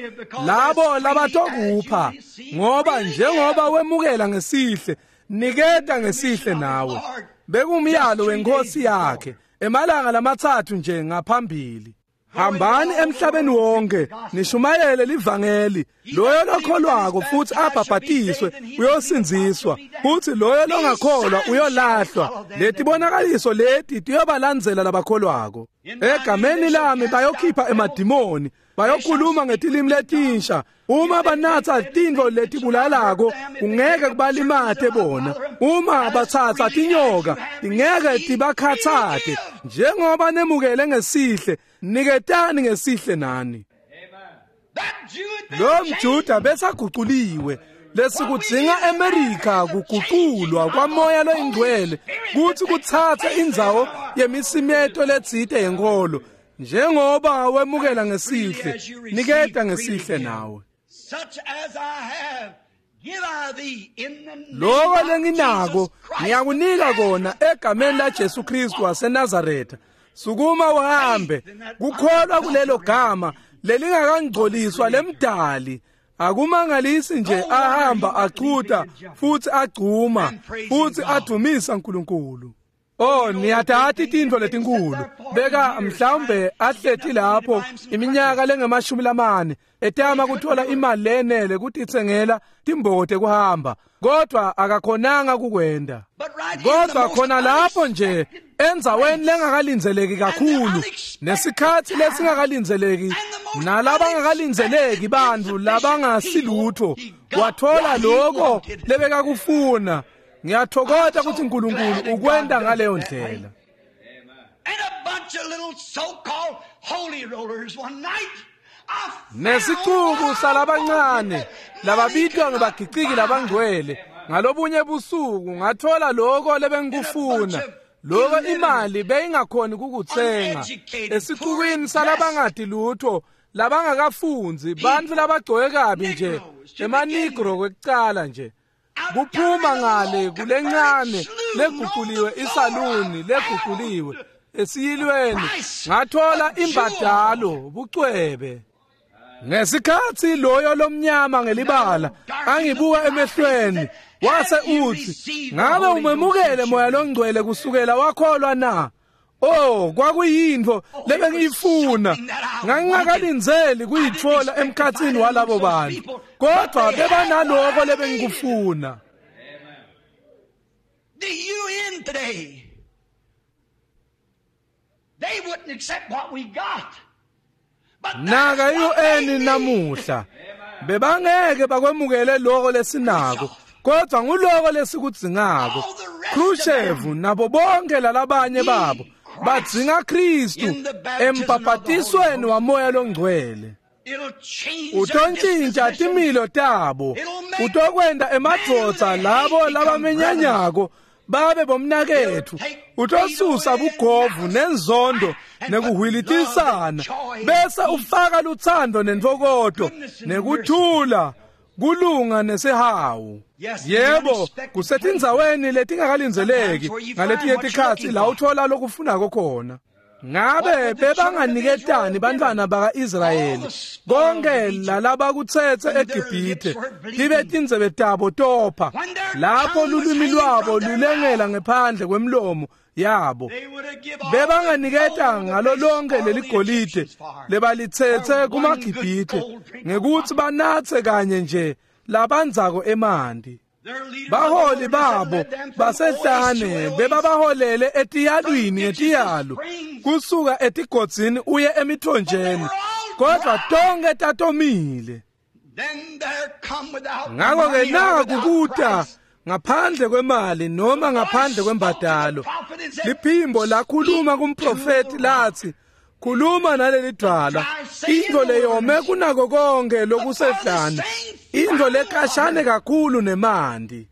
labo labatokupha, ngoba njengoba wemukela ngesihle, niketa ngesihle nawe. Bekumyalo wenkosi yakhe emalanga lamathathu nje ngaphambili. Hambani emhlabeni wonke nishumayele livangeli. Loyo lokholwako futhi abhabhatiswe uyosindziswa, futhi loyo longakholwa uyolahlwa. Letibonakaliso leti tiyobalandzela labakholwako. Egameni lami bayokhipha emadimoni, bayokhuluma ngetilimi letinsha. Uma banatsa tintfo letibulalako kungeke kubalimate bona. Uma batsatsa tinyoka tingeke tibakhatsate. Njengoba nemukele ngesihle, niketani ngesihle nani. Lo mJuda besaguculiwe. Lesikudzinga eMerika kuguculwa kwamoya loyingcwele kutsi kutsatse indzawo yemisimeto letsite yenkolo. Njengoba wemukela ngesihle, niketa ngesihle nawe. Loko lenginako ngiyakunika kona egameni la Jesu Kristu waseNazaretha. Sukuma uhambe. Kukholwa kulelo gama lelingakangcoliswa lemdali. Akumangalisi nje ahamba achuta futhi agcuma futhi adumisa uNkulunkulu. Oh, niyatati tintfo letinkulu. Beka mhlawumbe ahleti lapho iminyaka lengamashumi etama kuthola imali lenele kutitsengela timboko tekuhamba, kodwa akakhonanga kukwenda. Kodwa khona lapho nje endzaweni lengakalindzeleki kakhulu, nesikhatsi lesingakalindzeleki, nalabangakalinzeleki bantfu labangasilutho, wathola lokho lebekakufuna. Ngiyathokoza ukuthi uNkulunkulu ukwenta ngaleyo ndlela. Nesicuku salabancane lababitwa ngebagiciki labangcwele ngalobunye busuku ngathola lokho lebengikufuna. Lokho imali beyingakhoni kukutsenga. Esicukwini salabangadi lutho, labangakafundzi, bantfu labagcoke kabi nje, emanigro kwekucala nje. Kuphuma ngale kulencane leguquliwe isaluni leguquliwe esiyilweni, ngathola imbadalo bucwebe. Ngesikhatsi loyo lomnyama ngelibala angibuka emehlweni wase utsi, ngabe umemukele moya longcwele kusukela wakholwa na? Oh, kwakuyintfo lebengiyifuna. Ngangingakalindzeli kuyitfola emkhatsini walabo bantu, kodwa bebanaloko lebengikufuna. The UN today, they wouldn't accept what we got. Naka UN namuhla bebangeke bakwemukele lokho lesinako, kodwa nguloko lesikudzingako. Khrushchev nabo bonke lalabanye babo badzinga Kristu embhabhatisweni wamoya longcwele. Utontshintsha timilo tabo, utokwenta emadvodza labo labamenyanyako babe bomnaketfu, utosusa bugovu nenzondo nekuhwilitisana, bese ufaka lutsandvo nentfokoto nekuthula, kulunga nesihawu. Yebo, kusetindzaweni letingakalindzeleki ngaletinye tikhatsi la uthola lokufunako khona. Ngabe bebanganiketani bantfwana baka-Israyeli konke lalabakutsetse eGibhithe tibe tindzebe tabo topha, lapho lulwimi lwabo lulengela ngephandle kwemlomo yabo? Bebanganiketa ngalo lonke leligolide lebalitsetse kumaGibhithe ngekutsi banatse kanye nje labandzako emanti. Baholi babo basehlane bebabaholele etiyalwini ngetiyalo, kusuka etigodzini uye emithonjeni, kodwa tonke tatomile. Ngakho-ke naku kuta ngaphandle kwemali noma ngaphandle kwembadalo. Liphimbo lakhuluma kumprofeti lathi, Khuluma naleli dwala, intfo leyome kunako konke lokusehlane, intfo lekhashane kakhulu nemanti.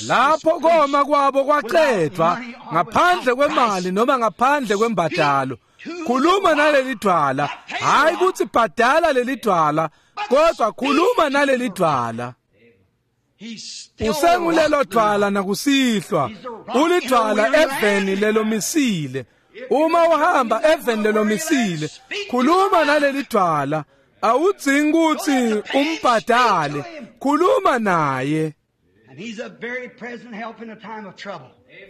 Lapho koma kwabo kwacedvwa ngaphandle kwemali noma ngaphandle kwembadalo. Khuluma naleli dwala, hayi kutsi bhadala leli dwala, kodwa khuluma naleli dwala. Usengulelo dwala nakusihlwa, ulidwala eveni lelomisile. Uma uhamba eveni lelomisile, khuluma naleli dwala. Awudzingi kutsi umbhadale, khuluma naye.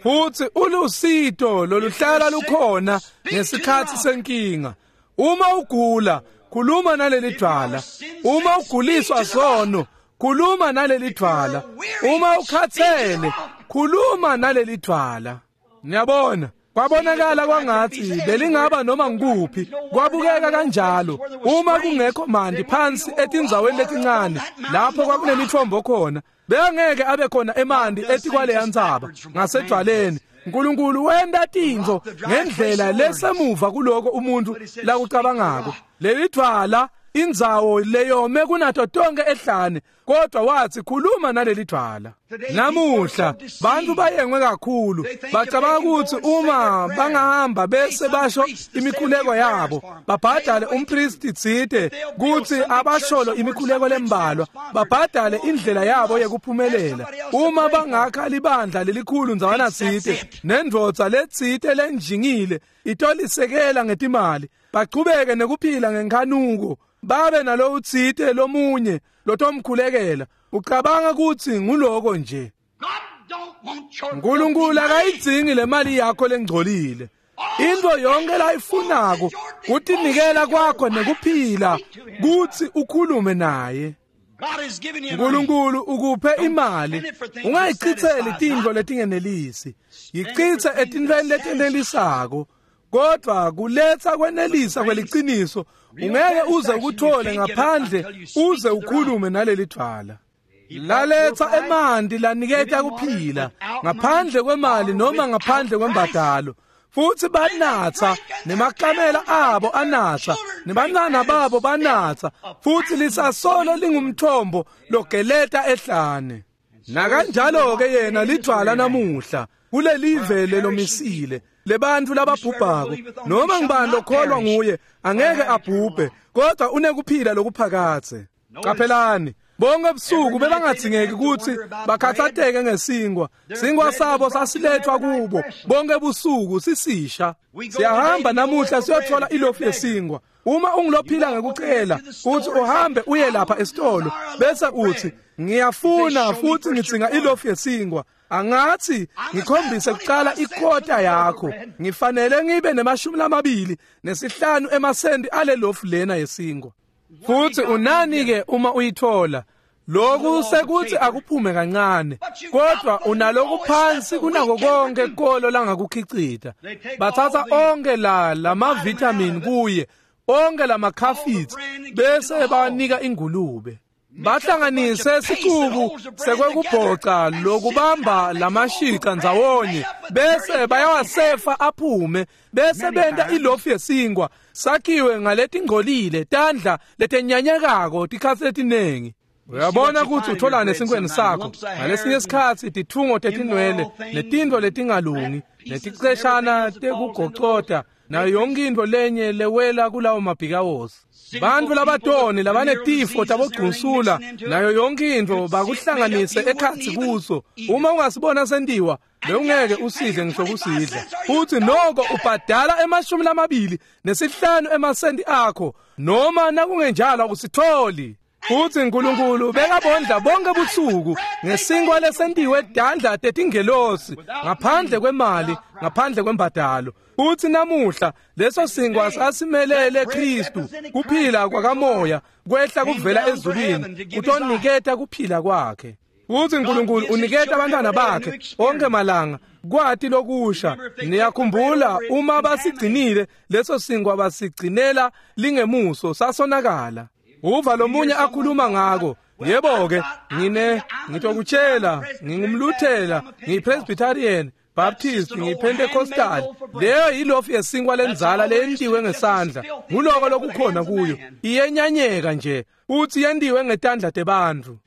Futsi ulusito loluhlala lukhona ngesikhatsi senkinga. Uma ugula, khuluma naleli dwala. Uma uguliswa sono, khuluma naleli dwala. Uma ukhathele, khuluma naleli dwala. Niyabona, kwabonakala kwangathi belingaba noma ngikuphi, kwabukeka kanjalo. Uma kungekho manti phansi etindzaweni letincane lapho kwakunemithombo khona, bengeke abe khona emanti etikwaleya ntsaba ngasedwaleni. Nkulunkulu wenta tintfo ngendlela lesemuva kuloko umuntu lakucabangako. Leli dwala, indzawo leyome kunato tonke ehlane, kodwa wathi khuluma naleli dwala. Namuhla bantu bayengwe kakhulu, bacabanga ukuthi uma bangahamba bese basho imikhuleko yabo, babhadale umpristi tsite kutsi abasholo imikhuleko lembalwa, babhadale indlela yabo yekuphumelela. Uma bangakha libandla lelikhulu ndzawana tsite nendvodza letsite lenjingile itolisekela ngetimali, bachubeke nekuphila ngenkhanuko, babe nalo utsite lomunye lotomkhulekela. Ucabanga kutsi nguloko nje. Nkulunkulu akayidzingi le mali yakho lengcolile. Into yonke layifunako kutinikela kwakho nekuphila kutsi ukhulume naye. Nkulunkulu ukuphe imali, ungayichitseli tintfo letingenelisi, yichitse etintfweni letenelisako. Kodwa kuletsa kwenelisa kweliciniso ungeke uze ukuthole ngaphandle uze ukhulume naleli dwala. Laletsa emanti laniketa kuphila ngaphandle kwemali noma ngaphandle kwembadalo. Futsi banatsa, nemakamela abo anatsa, nebantwana babo banatsa, futsi lisasolo lingumthombo logeleta ehlane. Nakanjalo-ke yena lidvwala namuhla kulelive lelomisile lebantfu lababhubhako. Noma ngibani lokholwa nguye angeke abhubhe, kodwa unekuphila lokuphakadze. Qaphelani, bonke ebusuku bebangadzingeki kutsi bakhatsateke ngesinkwa. Sinkwa sabo sasilethwa kubo bonke ebusuku sisisha. Siyahamba namuhla siyothola ilofu yesinkwa. Uma ungulophila ngekucela uthi uhambe uye lapha esitolo bese uthi ngiyafuna futhi ngidzinga ilofu yesinkwa, angathi ngikhombise kuqala ikota yakho, ngifanele ngibe ne-25 emasenti ale lofu lena yesinkwa. Futhi unani ke uma uyithola? Lokhu sekuthi akuphume kancane, kodwa unaloku phansi kunako konke kolo langakukhicita. Bathatha onke la lamavitamin kuye, onke lamakhafitsi, bese banika ingulube. Bahlanganise sicuku sekwekubhoca lokubamba lamashica ndzawonye, bese bayawasefa aphume, bese benta ilofu yesinkwa sakhiwe ngaletingcolile tandla letenyanyekako tikhatsi letinengi. Uyabona kutsi utholane esinkweni sakho ngalesinye isikhatsi titfungo tetinwele netintfo letingalungi neticeshana tekugocota nayo yonke intfo lenye lewela kulawo mabhikawosi. Bantfu labatoni labanetifo tabogcunsula nayo yonke intfo bakuhlanganise ekhatsi kuso. Uma ungasibona sentiwa, bewungeke usidle ngisho kusidla. Futhi noko ubhadala 25 emasenti akho, noma nakungenjalo usitholi. Futhi uNkulunkulu bekabondla bonke busuku ngesinkwa lesentiwe dandla tetingelosi ngaphandle kwemali, ngaphandle kwembadalo. Futhi namuhla leso sinkwa sasimelele Kristu, kuphila kwakamoya kwehla kuvela ezulwini kutoniketa kuphila kwakhe. Futhi uNkulunkulu uniketa abantwana bakhe onke malanga kwati lokusha. Niyakhumbula uma basigcinile leso sinkwa basigcinela lingemuso sasonakala. Uva lomunye akhuluma ngako. Yebo ke, ngitokutshela, ngingumluthela, ngiyipresbyterian, ngiyiBaptist, ngiyiPentecostal. Leyo yilofu yesinkwa lenzala leyentiwe ngesandla. Nguloko lokukhona kuyo. Iyenyanyeka nje, uthi yentiwe ngetandla tebantfu.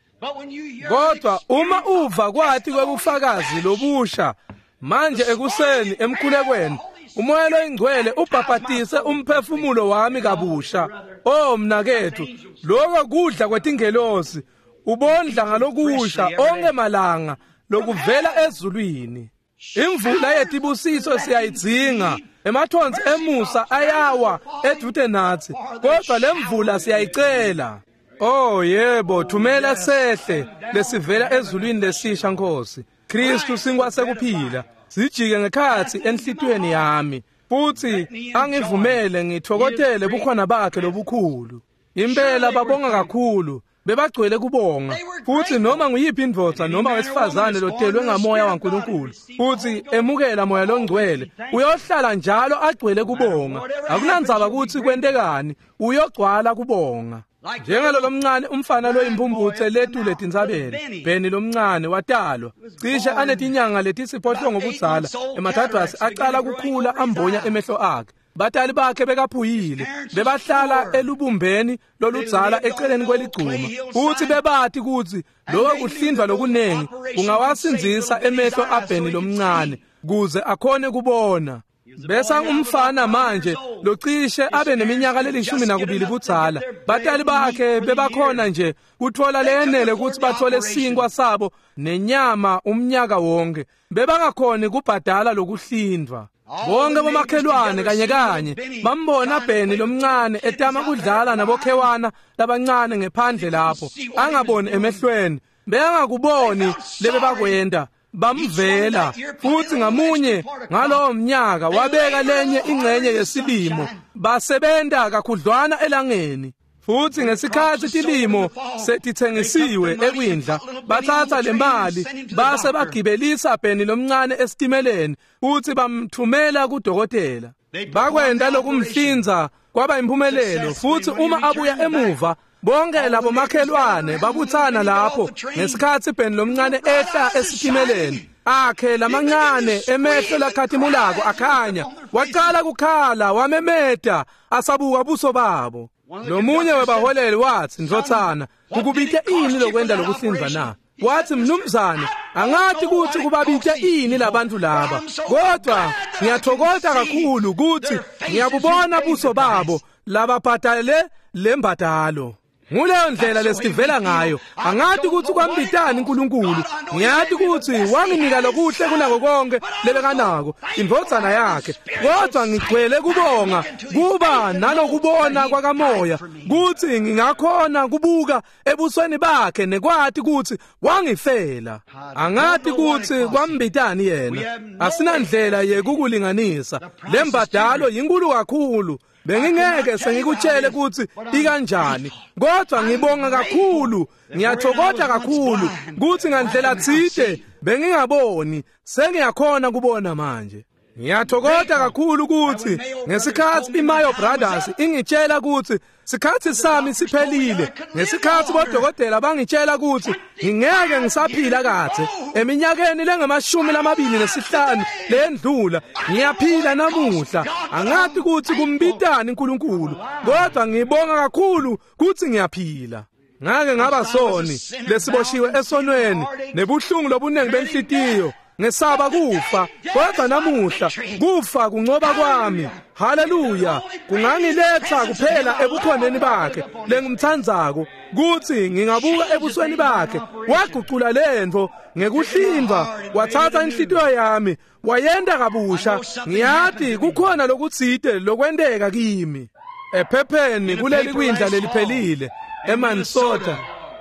Kodwa uma uva kwathi kwebufakazi lobusha manje ekuseni emkhulekweni, umoya loyingcwele ubhabhatise umphefumulo wami kabusha. Oh mnakethu, lokho kudla kwetingelosi, ubondla ngalokusha onke malanga lokuvela ezulwini. Imvula yetibusiso siyayidzinga, emathonsi emusa ayawa edude nathi, kodwa lemvula siyayicela. Oh yebo, thumela sehle lesivela ezulwini lesisha Nkosi. Kristu sinkwa sekuphila, sijike ngekhatsi enhlitiyweni yami, futhi angivumele ngithokotele bukhona bakhe lobukhulu. Impela babonga kakhulu, bebagcwele kubonga. Futhi noma nguyiphi indvodza noma wesifazane lotelwe ngamoya waNkulunkulu futhi emukela moya longcwele, uyohlala njalo agcwele kubonga. Akunandzaba ukuthi kwentekani, uyogcwala kubonga. Njengalo lomncane umfana loyimpumputhe letule tintsabeni, Benny lomncane watalwa cishe anetinyanga letisiphohlongo budzala. Ematadvasi aqala kukhula ambonya emehlo akhe. Batali bakhe bekaphuyile, bebahlala elubumbeni loludzala eceleni kweligcuma, futhi bebati kutsi lokho kuhlindwa lokuningi kungawasindzisa emehlo aBenny lomncane kuze akhone kubona. Besa umfana manje locishe abe neminyaka le-12 budzala. Batali bakhe bebakhona nje kutfola leyenele kutsi bathole sinkwa sabo nenyama umnyaka wonke. Bebangakhoni kubhadala lokuhlindwa. Bonke bomakhelwane kanye kanye bambona Benny lomncane etama kudlala nabokhewana labancane ngephandle lapho, angaboni emehlweni. Bengakuboni lebebakwenta, bamvela. Futhi ngamunye ngalowo mnyaka wabeka lenye ingxenye yesilimo, basebenta kakhudlwana elangeni. Futhi ngesikhathi tilimo setitsengisiwe ekwindla, bathatha le mali base bagibelisa Benny lomncane esitimeleni futhi bamthumela kudokotela. Bakwenta lokumhlinza kwaba impumelelo. Futhi uma abuya emuva, bonke labo makhelwane babuthana lapho ngesikhathi Benny lomncane ehla esitimeleni. Akhe lamancane emehlo lakhatimulako akhanya, waqala kukhala, wamemeta asabuka buso babo. Lomunye webaholeli wathi, "Ndvodzana, kukubite ini lokwenta lokuhlinza na?" Wathi, "Mnumzane, angathi kutsi kubabite ini labantu laba, kodwa ngiyathokoza kakhulu kutsi ngiyabubona buso babo lababhadale lembadalo." Nguleyo ndlela lesivela ngayo. Angathi kutsi kwambitani uNkulunkulu, ngiyathi kutsi wanginika lokuhle kunako konke lebekanako, indvodzana yakhe. Kodwa ngigcwele kubonga kuba nalokubona kwakamoya kutsi ngingakhona kubuka ebusweni bakhe nekwati kutsi wangifela. Angathi kutsi kwambitani yena, asinandlela yekukulinganisa. Lembadalo yinkulu kakhulu. Bengingeke sengikutshele kutsi ikanjani, kodwa ngibonga kakhulu, ngiyathokoza kakhulu kutsi ngandlela tsite bengingaboni, sengiyakhona kubona manje. Ngiyathokoza kakhulu kutsi ngesikhathi iMayo Brothers ingitshela kutsi sikhathi sami siphelile, ngesikhathi bodokotela bangitshela kutsi ngingeke ngisaphila kadze, eminyakeni lengamashumi 25 lendlula, ngiyaphila namuhla. Angathi kutsi kumbitani uNkulunkulu, kodwa ngibonga kakhulu kutsi ngiyaphila. Ngake ngaba soni lesiboshiwe esonweni nebuhlungu lobunengi benhlitiyo, ngesaba kufa, kodwa namuhla kufa kuncoba kwami. Haleluya! Kungangiletha kuphela ebukhoneni bakhe lengimthandzako, kutsi ngingabuka ebusweni bakhe. Wagucula lentfo ngekuhlindwa, wathatha inhlitiyo yami wayenta kabusha. Ngiyati kukhona lokutsite lokwenteka kimi. Ephepheni kuleli kwindla leliphelile eMansota,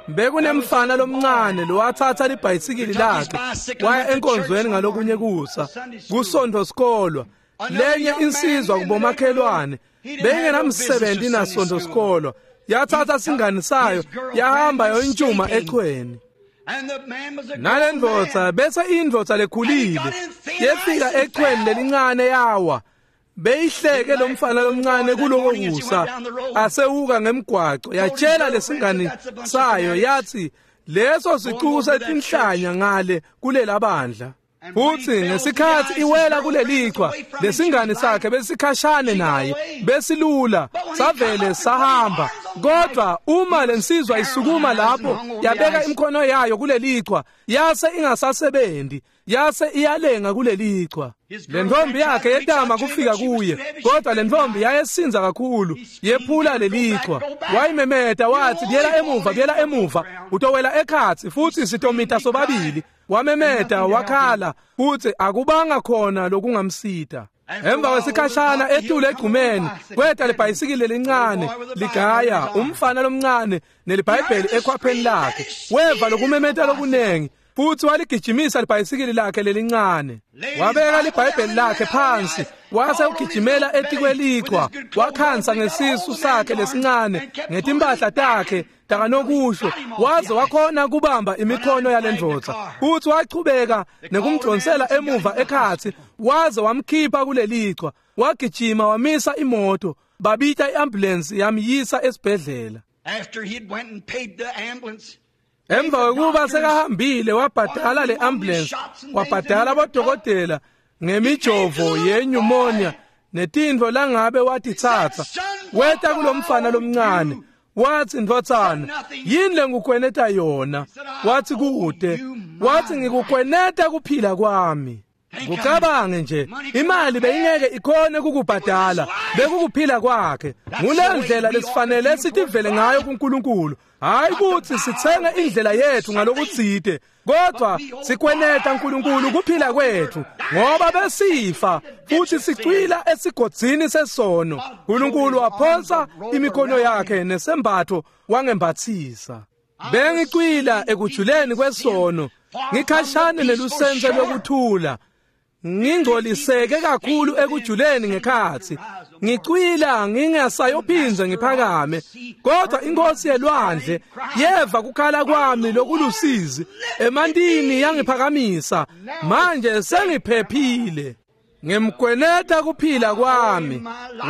bekunemfana lomncane lowathatha libhayisikili lakhe waya enkonzweni ngalokunye kusa kusonto sikolwa. Lenye insizwa kubomakhelwane beyingenamsebenzi nasonto sikolwa, yathatha singani sayo yahamba yontshuma echweni. Nalendvodza bese indvodza lekhulile yefika echweni lelincane yawa. Beyihleke lomfana lomncane kuloko kusa asewuka ngemgwaco, yatshela lesingani sayo yathi leso sicuku setinhlanya ngale kulela bandla. Futhi ngesikhathi iwela kulelichwa, lesingane sakhe besikhashane naye, besilula, savele sahamba. Kodwa uma lensizwa isukuma lapho, yabeka imikhono yayo kulelichwa, yase ingasasebenzi, yase iyalenga kulelichwa. Lentombi yakhe yetama kufika kuye, kodwa lentombi yayesinza kakhulu, yephula lelichwa. Wayimemeta wathi, "Buyela emuva, buyela emuva, utowela ekhatsi futhi sitomita sobabili." Wamemeta wakhala futhi akubanga khona lokungamsita. Emva kwesikhashana etule egqumeni kweta lebhayisikili lelincane ligaya umfana lomncane nelibhayibheli ekhwapheni lakhe. Weva lokumemeta lokunengi futhi waligijimisa libhayisikili lakhe lelincane. Wabeka libhayibheli lakhe phansi wase ugijimela etikwelichwa, wakhansa ngesisu sakhe lesincane ngetimpahla takhe takanokusho, waze wakhona kubamba imikhono yalendvodza. Futhi wachubeka nekumdonsela emuva ekhatsi waze wamkhipha kulelichwa. Wagijima wamisa imoto, babita iambulance yamyisa esibhedlela. Emva kwekuba sekahambile wabhadala le ambulance, wabhadala abodokotela ngemijovo ye-pneumonia netintfo langabe watitsatsa. Weta kulomfana lomncane wathi, "Ndvodzana, yini lengikukweneta yona?" Wathi, "Kude." Wathi, "Ngikukweneta kuphila kwami." Kucabange nje, imali beyingeke ikhone kukubhadala, bekukuphila kwakhe. Ngule ndlela lesifanele sitivele ngayo kuNkulunkulu. Hayi ukuthi sitsenge indlela yethu ngalokutsite, kodwa sikweneta uNkulunkulu kuphila kwethu, ngoba besifa futhi sicwila esigodzini sesono. uNkulunkulu waphonsa imikhono yakhe nesembatho wangembathisa. Bengicwila ekujuleni kwesono, ngikhashane nelusense lokuthula, ngingcoliseke kakhulu ekujuleni ngekhatsi, ngicwila ngingasayophinze ngiphakame. Kodwa inkosi yelwandle yeva kukhala kwami lokulusizi emantini, yangiphakamisa. Manje sengiphephile. Ngimkweneta kuphila kwami.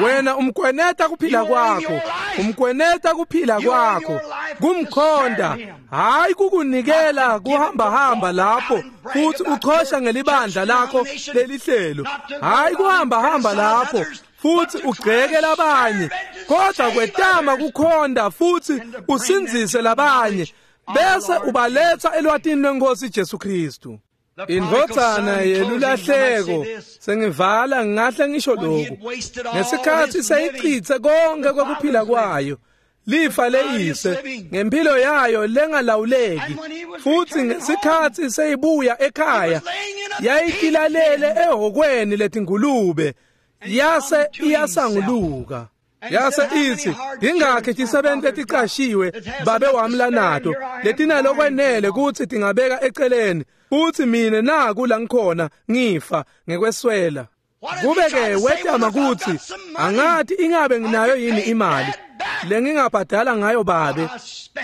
Wena umkweneta kuphila kwakho, umkweneta kuphila kwakho kumkhonda, hayi kukunikela kuhamba hamba lapho futhi uchosha ngelibandla lakho lelihlelo, hayi kuhamba hamba lapho futhi ugceke labanye, kodwa kwetama kukhonda futhi usindzise labanye bese ubaletha elwatini lwenkosi Jesu Kristu. Indvodzana yelulahleko, sengivala ngingahle ngisho lokhu, ngesikhathi seyichithe konke kwekuphila kwayo, lifa leyise ngempilo yayo lengalawuleki, futhi ngesikhathi seyibuya ekhaya yayitilalele ehokweni letingulube, yase iyasanguluka. Yase ithi, "Ingakhi tisebenti leticashiwe babe wami lanato letinalokwenele kutsi tingabeka eceleni, futhi mina naku la ngikhona ngifa ngekweswela." Kube-ke wetama kutsi, "Angathi ingabe nginayo yini imali lengingabhadala ngayo babe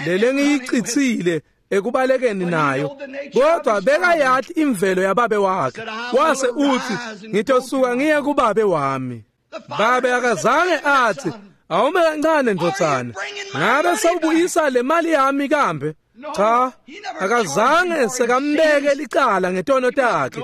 lelengiyicitsile ekubalekeni nayo?" Kodwa bekayati imvelo yababe wakhe. Wase uthi, "Ngitosuka ngiye kubabe wami." Babe akazange athi, "Awume kancane ndvodzana, ngabe sewubuyisa le mali yami kambe?" Cha, akazange sekambeke licala ngetono takhe.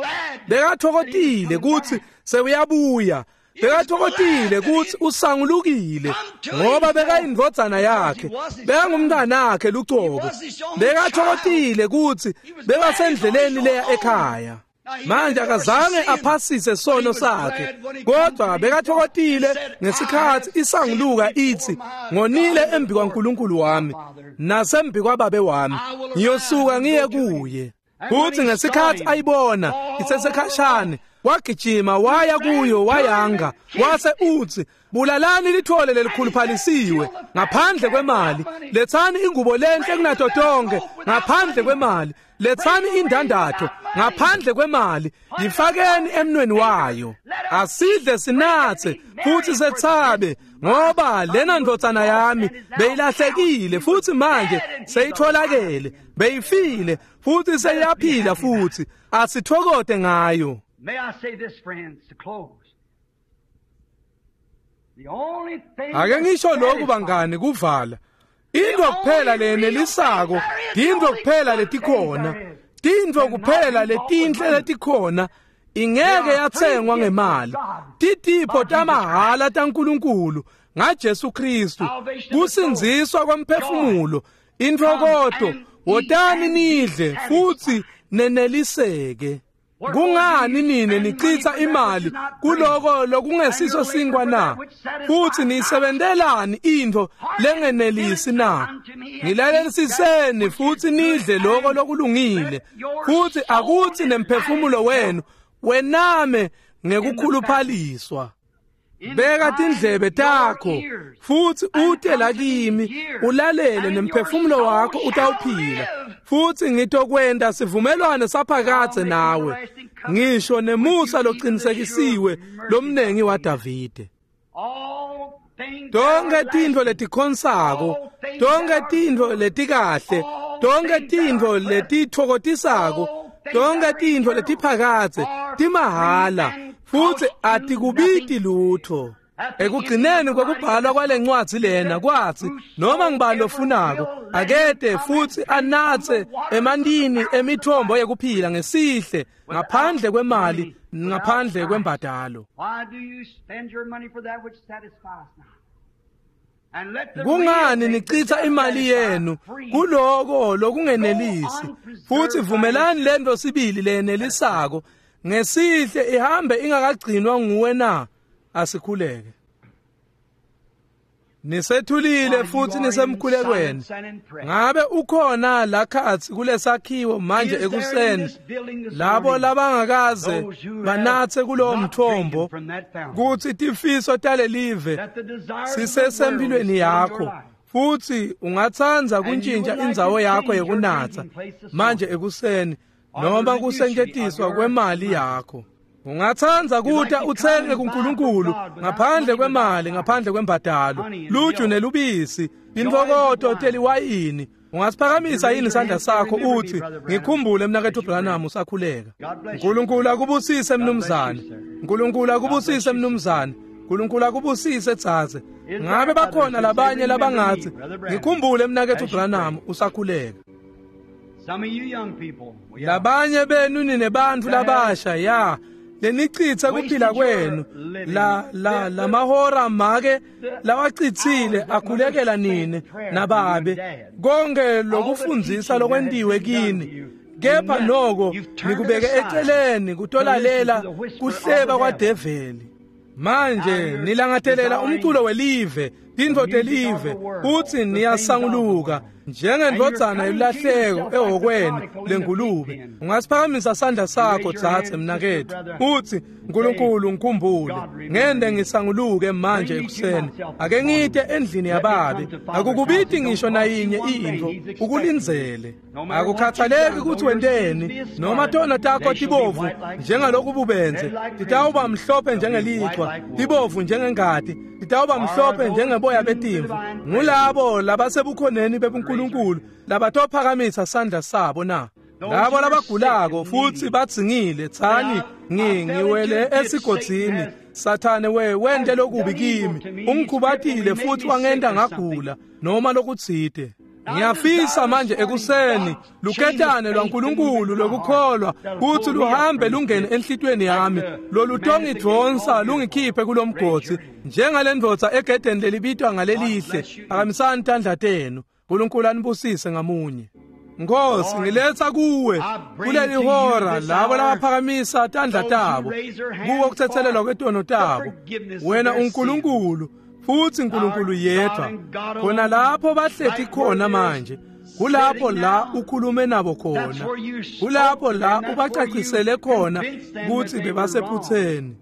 Bekathokozile kutsi sewuyabuya, bekathokozile kutsi usangulukile, ngoba bekayindvodzana yakhe, bekangumntanakhe lucobo. Bekathokozile kutsi bekasendleleni leya ekhaya. Manje akazange aphasise sono sakhe, kodwa bekathokozile ngesikhathi isanguluka ithi, "Ngonile embi kwaNkulunkulu wami nasembi kwababe wami, ngiyosuka ngiye kuye." Futhi ngesikhathi ayibona isesekhashane, wagijima waya kuyo wayanga, wase uthi, "Bulalani lithole lelikhuluphalisiwe ngaphandle kwemali, lethani ingubo lenhle kunato tonke ngaphandle kwemali, lethani indandatho ngaphandle kwemali, yifakeni emnweni wayo, asidle sinathe futhi sethabe, ngoba lena ndvodzana yami beyilahlekile futhi manje seyitholakele, beyifile futhi seyiyaphila futhi, asithokote ngayo." May I say this, friends, to close. The only thing Ake ngisho lokhu bangani kuvala. Into kuphela lenelisako, into kuphela letikhona, Tintfo kuphela letinhle letikhona ingeke yatsengwa ngemali. Titipho tamahhala taNkulunkulu ngaJesu Kristu, kusindziswa kwemphefumulo, intfokoto. Wotani nidle futsi neneliseke. Kungani nine nichitha imali kuloko lokungesiso sinkwa na? Futsi niyisebentelani intfo lengenelisi na? Ngilalelisiseni futsi nidle loko lokulungile, futsi akutsi nemphefumulo wenu wename ngekukhuluphaliswa. Beka tindlebe takho futsi ute la kimi, ulalele, nemphefumulo wakho utawuphila, futsi ngitokwenta sivumelwano saphakadze nawe, ngisho nemusa locinisekisiwe lomnengi waDavide. Tonkhe tintfo letikhonsako, tonkhe tintfo letikahle, tonkhe tintfo letitfokotisako, tonkhe tintfo letiphakadze timahhala futsi atikubiti lutho. Ekugcineni kwekubhalwa kwalencwadzi lena kwatsi, noma ngibani lofunako akete futsi anatse emantini emithombo yekuphila ngesihle, ngaphandle kwemali, ngaphandle kwembadalo. Kungani nichitha imali yenu kuloko lokungenelisi? Futsi vumelani lento sibili leyenelisako ngesihle ihambe ingakagcinwa nguwe na? Asikhuleke. Nisethulile futhi nisemkhulekweni. Ngabe ukhona lakhatsi kulesakhiwo manje ekuseni labo labangakaze banatse kulowo mthombo, kutsi tifiso talelive sisesempilweni yakho, futsi ungatsandza kuntshintsha indzawo yakho yekunatsa manje ekuseni, noma kusentshentiswa kwemali yakho? Ungatsandza kuta utsenge kuNkulunkulu ngaphandle kwemali, ngaphandle kwembadalo, luju nelubisi, intfokoto teliwayini? Ungasiphakamisa yini isandla sakho uthi, ngikhumbule mnaketfu Branham, usakhuleka? Nkulunkulu akubusise mnumzane. Nkulunkulu akubusise mnumzane. Nkulunkulu akubusise dzadze. Ngabe bakhona labanye labangatsi, ngikhumbule mnaketfu Branham, usakhuleka? Labanye benu ninebantfu labasha ya lenichitha kuphila kwenu la la lamahora make lawachithile akhulekela nine nababe, konke lokufundzisa lokwentiwe kini, kepha noko nikubeke eceleni kutolalela kuhleba kwadeveli. Manje nilangatelela umculo welive, tintfo telive, futsi niyasanguluka njengendvodzana yelahleko ehhokweni lengulube. Ungasiphakamisa sandla sakho dzadze mnaketfu, utsi, Nkulunkulu ngikhumbule, ngende ngisanguluke manje ekuseni. Ake ngite endlini yababe. Akukubiti ngisho nayinye intfo, ukulindzele. Akukhathaleki kutsi wenteni, noma tona takho tibovu njengaloku bubenze, titawuba mhlophe njengelichwa, tibovu njengengati, titawuba mhlophe njengeboya betimvu. Ngulabo labasebukhoneni bebuNkulunkulu labatophakamisa sandla sabo na? Labo labagulako futsi badzingile, tsani, ngiwele esigodzini, Sathane wente lokubi kimi, ungikhubatile futhi wangenta ngagula noma lokutsite. Ngiyafisa manje ekuseni luketane lwaNkulunkulu lokukholwa kutsi luhambe lungene enhlitiyweni yami, lolutongidvonsa lungikhiphe kulomgodzi njengalendvodza egedeni lelibitwa ngalelihle. Phakamisani tandla tenu. Nkulunkulu anibusise ngamunye. Nkosi, ngiletha kuwe kuleli hora labo labaphakamisa tandla tabo kuwo kuthethelelwa kwetono tabo. Wena uNkulunkulu futsi uNkulunkulu yedwa. Khona lapho bahleti khona manje, kulapho la ukhulume nabo khona, kulapho la ubacacisele khona kutsi bebasephutseni.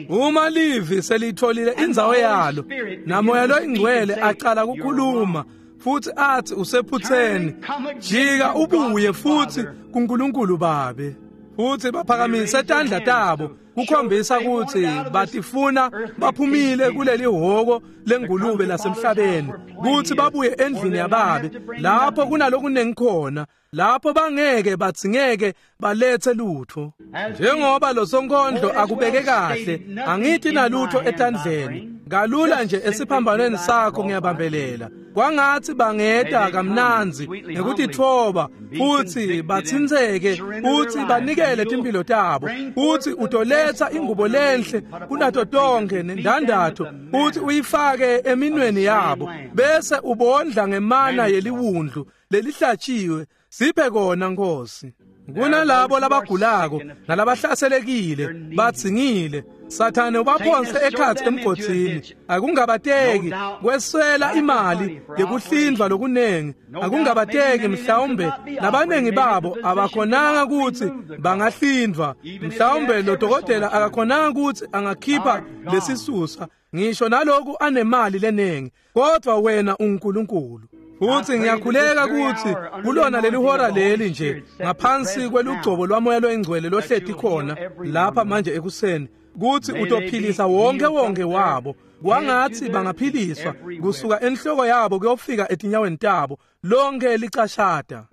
Uma livi selitholile indzawo yalo, namoya loyingcwele acala kukhuluma futsi athi usephutseni, jika ubuye futsi kuNkulunkulu Babe. Futsi baphakamise tandla tabo kukhombisa kutsi batifuna baphumile kuleli hhoko lengulube lasemhlabeni, kutsi babuye endlini yababe lapho kunalokunengi khona, lapho bangeke badzingeke balethe lutho. Njengoba lo sonkondlo akubeke kahle, angithi nalutho etandleni Kalula nje esiphambanweni sakho ngiyabambelela. Kwangathi bangeta kamnandzi ngekutitfoba futhi batsintseke futhi banikele timpilo tabo, futhi utoletsa ingubo lenhle kunato tonkhe nendandatho futhi uyifake eminweni yabo, bese ubondla ngemana yeliwundlu lelihlatshiwe. Siphe kona Nkosi. Kunalabo labagulako nalabahlaselekile batsingile, Sathane ubaphonse ekhatsi emgodzini. Akungabateki kweswela imali yekuhlindvwa lokunengi, akungabateki mhlawumbe labanengi babo abakhonanga kutsi bangahlindvwa, mhlawumbe lo dokotela akakhonanga kutsi angakhipha lesisusa ngisho naloku anemali lenengi, kodwa wena unguNkulunkulu. Futhi ngiyakhuleka ukuthi kulona leli hora leli nje ngaphansi kwelugcobo lwamoya loyingcwele lohleti khona lapha manje ekuseni, kuthi utophilisa wonke wonke wabo. Kwangathi bangaphiliswa kusuka enhloko yabo kuyofika etinyaweni tabo, lonke licashata.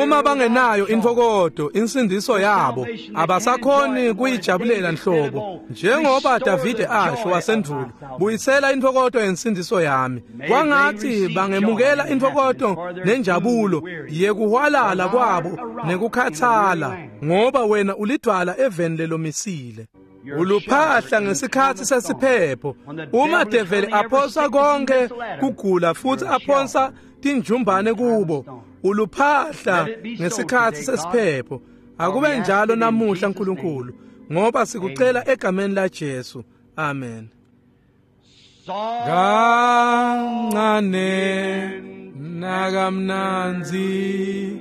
Uma bangenayo intokodo insindiso yabo abasakhoni kuyijabulela nhlobo, njengoba Davide asho wasendulo, buyisela intokodo yensindiso yami. Kwangathi bangemukela intokodo nenjabulo yekuhwalala kwabo nekukhathala, ngoba wena ulidvwala eveni lelomisile. Uluphahla ngesikhathi sesiphepho. Uma develi aphonsa konke kugula futhi aphonsa tinjumbane kubo, uluphahla ngesikhathi sesiphepho. Akube njalo namuhla Nkulunkulu, ngoba sikucela egameni la Jesu. Amen. Kancane nakamnandzi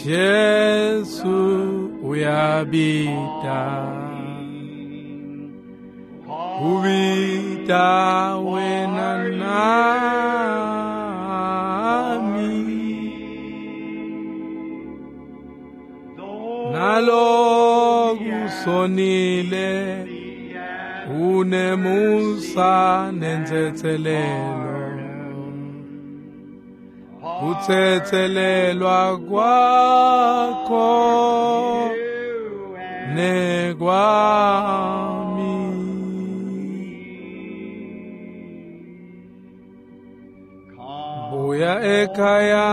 Jesu uyabita, ubita wena nami, naloku sonile unemusa nentsetselelo, kutsetselelwa kwakho nekwami. Buya ekhaya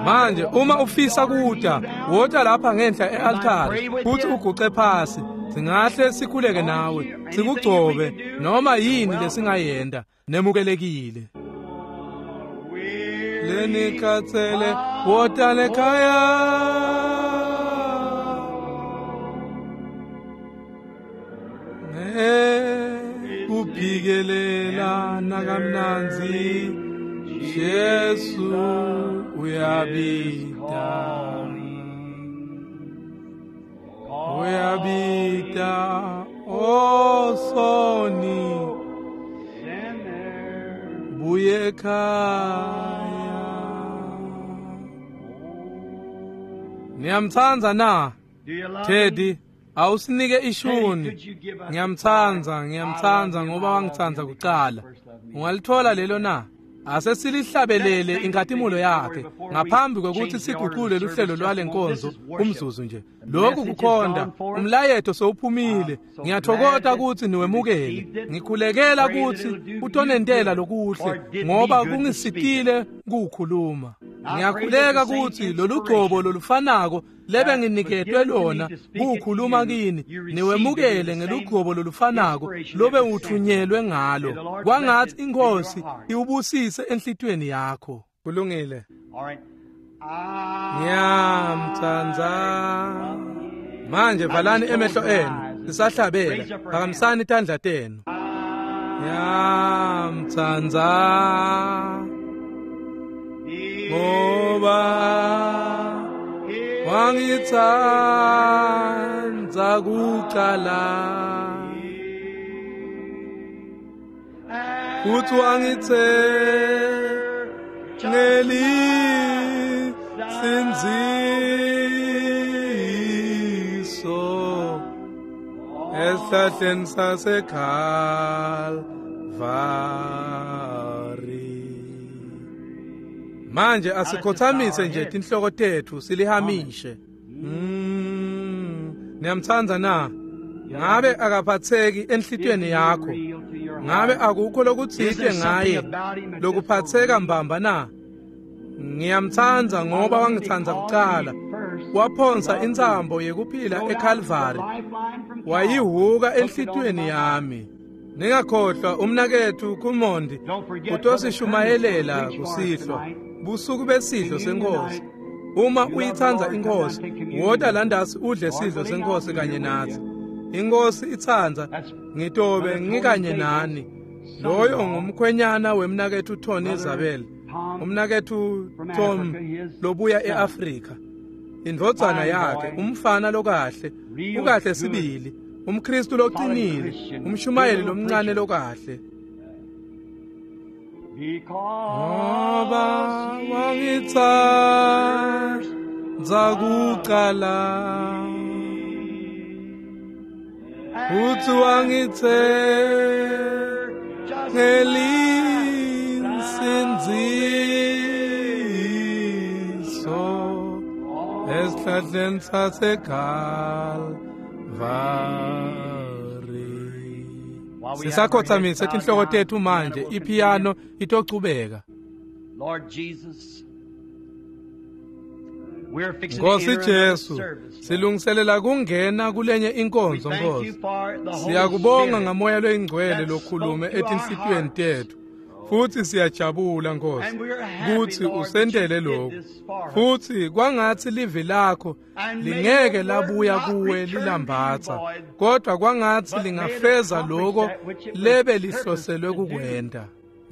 manje. Uma ufisa kuta, wota lapha ngenhla e-altare futhi uguce phasi. Singahle sikhuleke nawe, sikugcobe noma yini lesingayenda. Nemukelekile. Lenikhathele, wota lekhaya. Kuphikelela nakamnandzi Jesu uyabita, uyabita osoni buye ekhaya. Niyamtsandza na Teddy? Awusinike ishuni. Ngiyamtsandza, ngiyamtsandza ngoba wangitsandza kucala. Ungalithola lelo na? Ase silihlabelele inkatimulo yakhe ngaphambi kwekuthi siguqule luhlelo lwalenkonzo umzuzu nje. Lokhu kukhonda umlayeto sowuphumile. Ngiyathokoza ukuthi niwemukele. Ngikhulekela ukuthi utonentela lokuhle ngoba kungisitile kukhuluma. Ngiyakhuleka ukuthi lolugcobo lolufanako lebe nginiketwe lona kukhuluma kini niwemukele ngelugcobo lolufanako lobe uthunyelwe ngalo. Kwangathi inkosi iwubusise enhlitiyweni yakho. Kulungile. Ngiyamtsandza. Manje valani emehlo enu sisahlabela, phakamisani tandla tenu. Ngiyamtsandza ngoba wangitsandza kucala, futhi wangithengeli sindziso esihlahleni saseKalvari. Manje asikhothamise nje tinhloko tethu silihamishe. Niyamtsandza na? Ngabe akaphatheki enhlitiyweni yakho? Ngabe akukho lokutsite ngaye lokuphatheka mbamba na? Ngiyamtsandza ngoba wangitsandza kucala. Waphonsa intsambo yekuphila eKalvari, wayihuka enhlitiyweni yami. Ningakhohlwa umnaketfu Kumondi utosishumayelela kusihlwa, busuku besidlo senkosi. Uma uyitsandza inkosi, wota landasi udle sidlo senkosi kanye natsi. Inkosi itsandza, ngitobe ngikanye nani. Loyo ngumkhwenyana wemnaketfu Tony Isabel, umnaketfu Tom lobuya eAfrika. Indvodzana yakhe, umfana lokahle, ukahle sibili, umKristu loqinile, umshumayeli lomncane lokahle. Ngoba wangitsandza kucala, futsi wangitsengela insindziso esihlahleni saseKalvari. Sisakhothamise tinhloko tetfu manje, ipiyano itochubeka. Nkosi Jesu, silungiselela kungena kulenye inkonzo Nkosi. Siyakubonga ngamoya loyingcwele lokhulume etinhlitiyweni tetfu. Futsi siyajabula Nkosi kutsi usentele lokhu. Futsi kwangatsi livi lakho lingeke labuya kuwe lilambatsa, kodwa kwangatsi lingafeza lokho lebe lihloselwe kukwenta.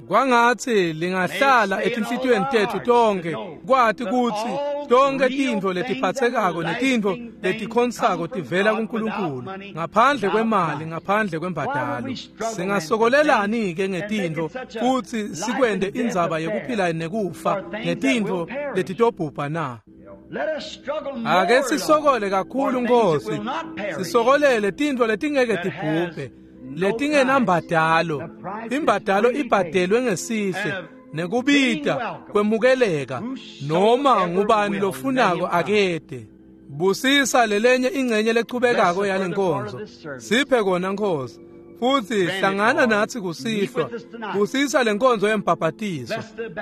Kwangatsi lingahlala etinhlitiyweni tetfu tonke, kwati kutsi tonke tintfo letiphatsekako netintfo letikhonsako tivela kuNkulunkulu, ngaphandle kwemali, ngaphandle kwembadalo. Singasokolelani-ke ngetintfo futsi sikwente indzaba yekuphila nekufa ngetintfo letitobhubha na? Ake sisokole kakhulu Nkosi, sisokolele tintfo letingeke tibhubhe, letingenambadalo. Imbadalo ibhadelwe ngesihle nekubita kwemukeleka, noma ngubani lofunako akede. Busisa lelenye ingcenye lechubekako yalenkonzo, siphe kona Nkosi. Futsi hlangana natsi kusihlwa, busisa lenkonzo yembhabhatiso.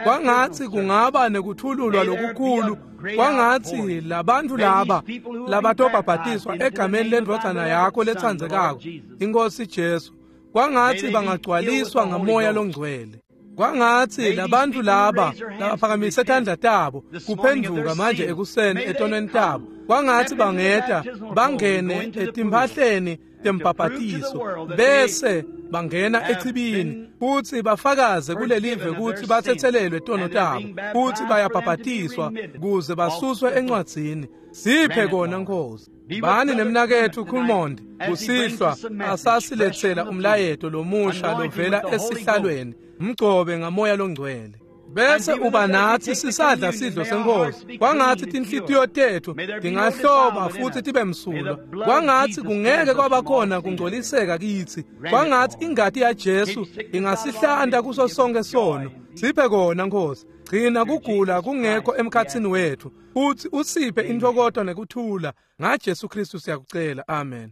Kwangatsi kungaba nekuthululwa lokukhulu, kwangatsi labantfu laba labatobhabhatiswa egameni lendvodzana yakho letsandzekako, iNkosi Jesu, kwangatsi bangagcwaliswa ngamoya longcwele. Kwangatsi labantfu laba labaphakamise tandla tabo kuphendvuka manje ekuseni etonweni tabo, kwangatsi bangeta bangene etimphahleni tembhabhatiso bese bangena echibini futsi bafakaze kulelive kutsi batsetselelwe tono tabo futsi bayabhabhatiswa kuze basuswe encwadzini. Siphe kona Nkosi. Bani nemnaketfu Kulmondi kusihlwa asasiletsela umlayeto lomusha lovela esihlalweni, mgcobe ngamoya longcwele. Bese uba natsi sisadla sidlo senkosi. Kwangatsi tinhlitiyo tetfu tingahloba futsi tibe msulwa. Kwangatsi kungeke kwabakhona kungcoliseka kitsi. Kwangatsi ingati yaJesu ingasihlanta kuso sonke sono. Siphe kona Nkosi. Gcina kugula kungekho emkhatsini wetfu, futsi usiphe intfokoto nekuthula. NgaJesu Kristu siyakucela. Amen.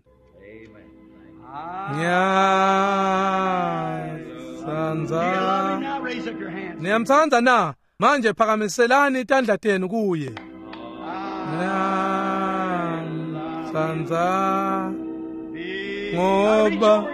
Ngiyatsandza. Niyamtsandza na? Manje phakamiselani tandla tenu kuye. Ngiyamtsandza ngoba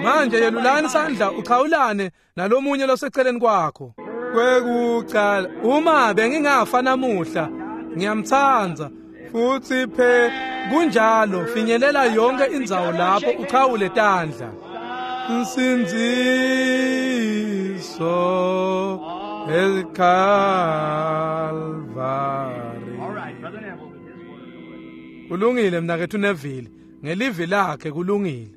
manje yelulani sandla uchawulane nalomunye loseceleni kwakho. Kwekucala, uma bengingafa namuhla, ngiyamtsandza futsi phe kunjalo. Finyelela yonke indzawo lapho uchawule tandla. Nsindziso eKalvari. Kulungile mnaketfu Neville, ngelivi lakhe kulungile.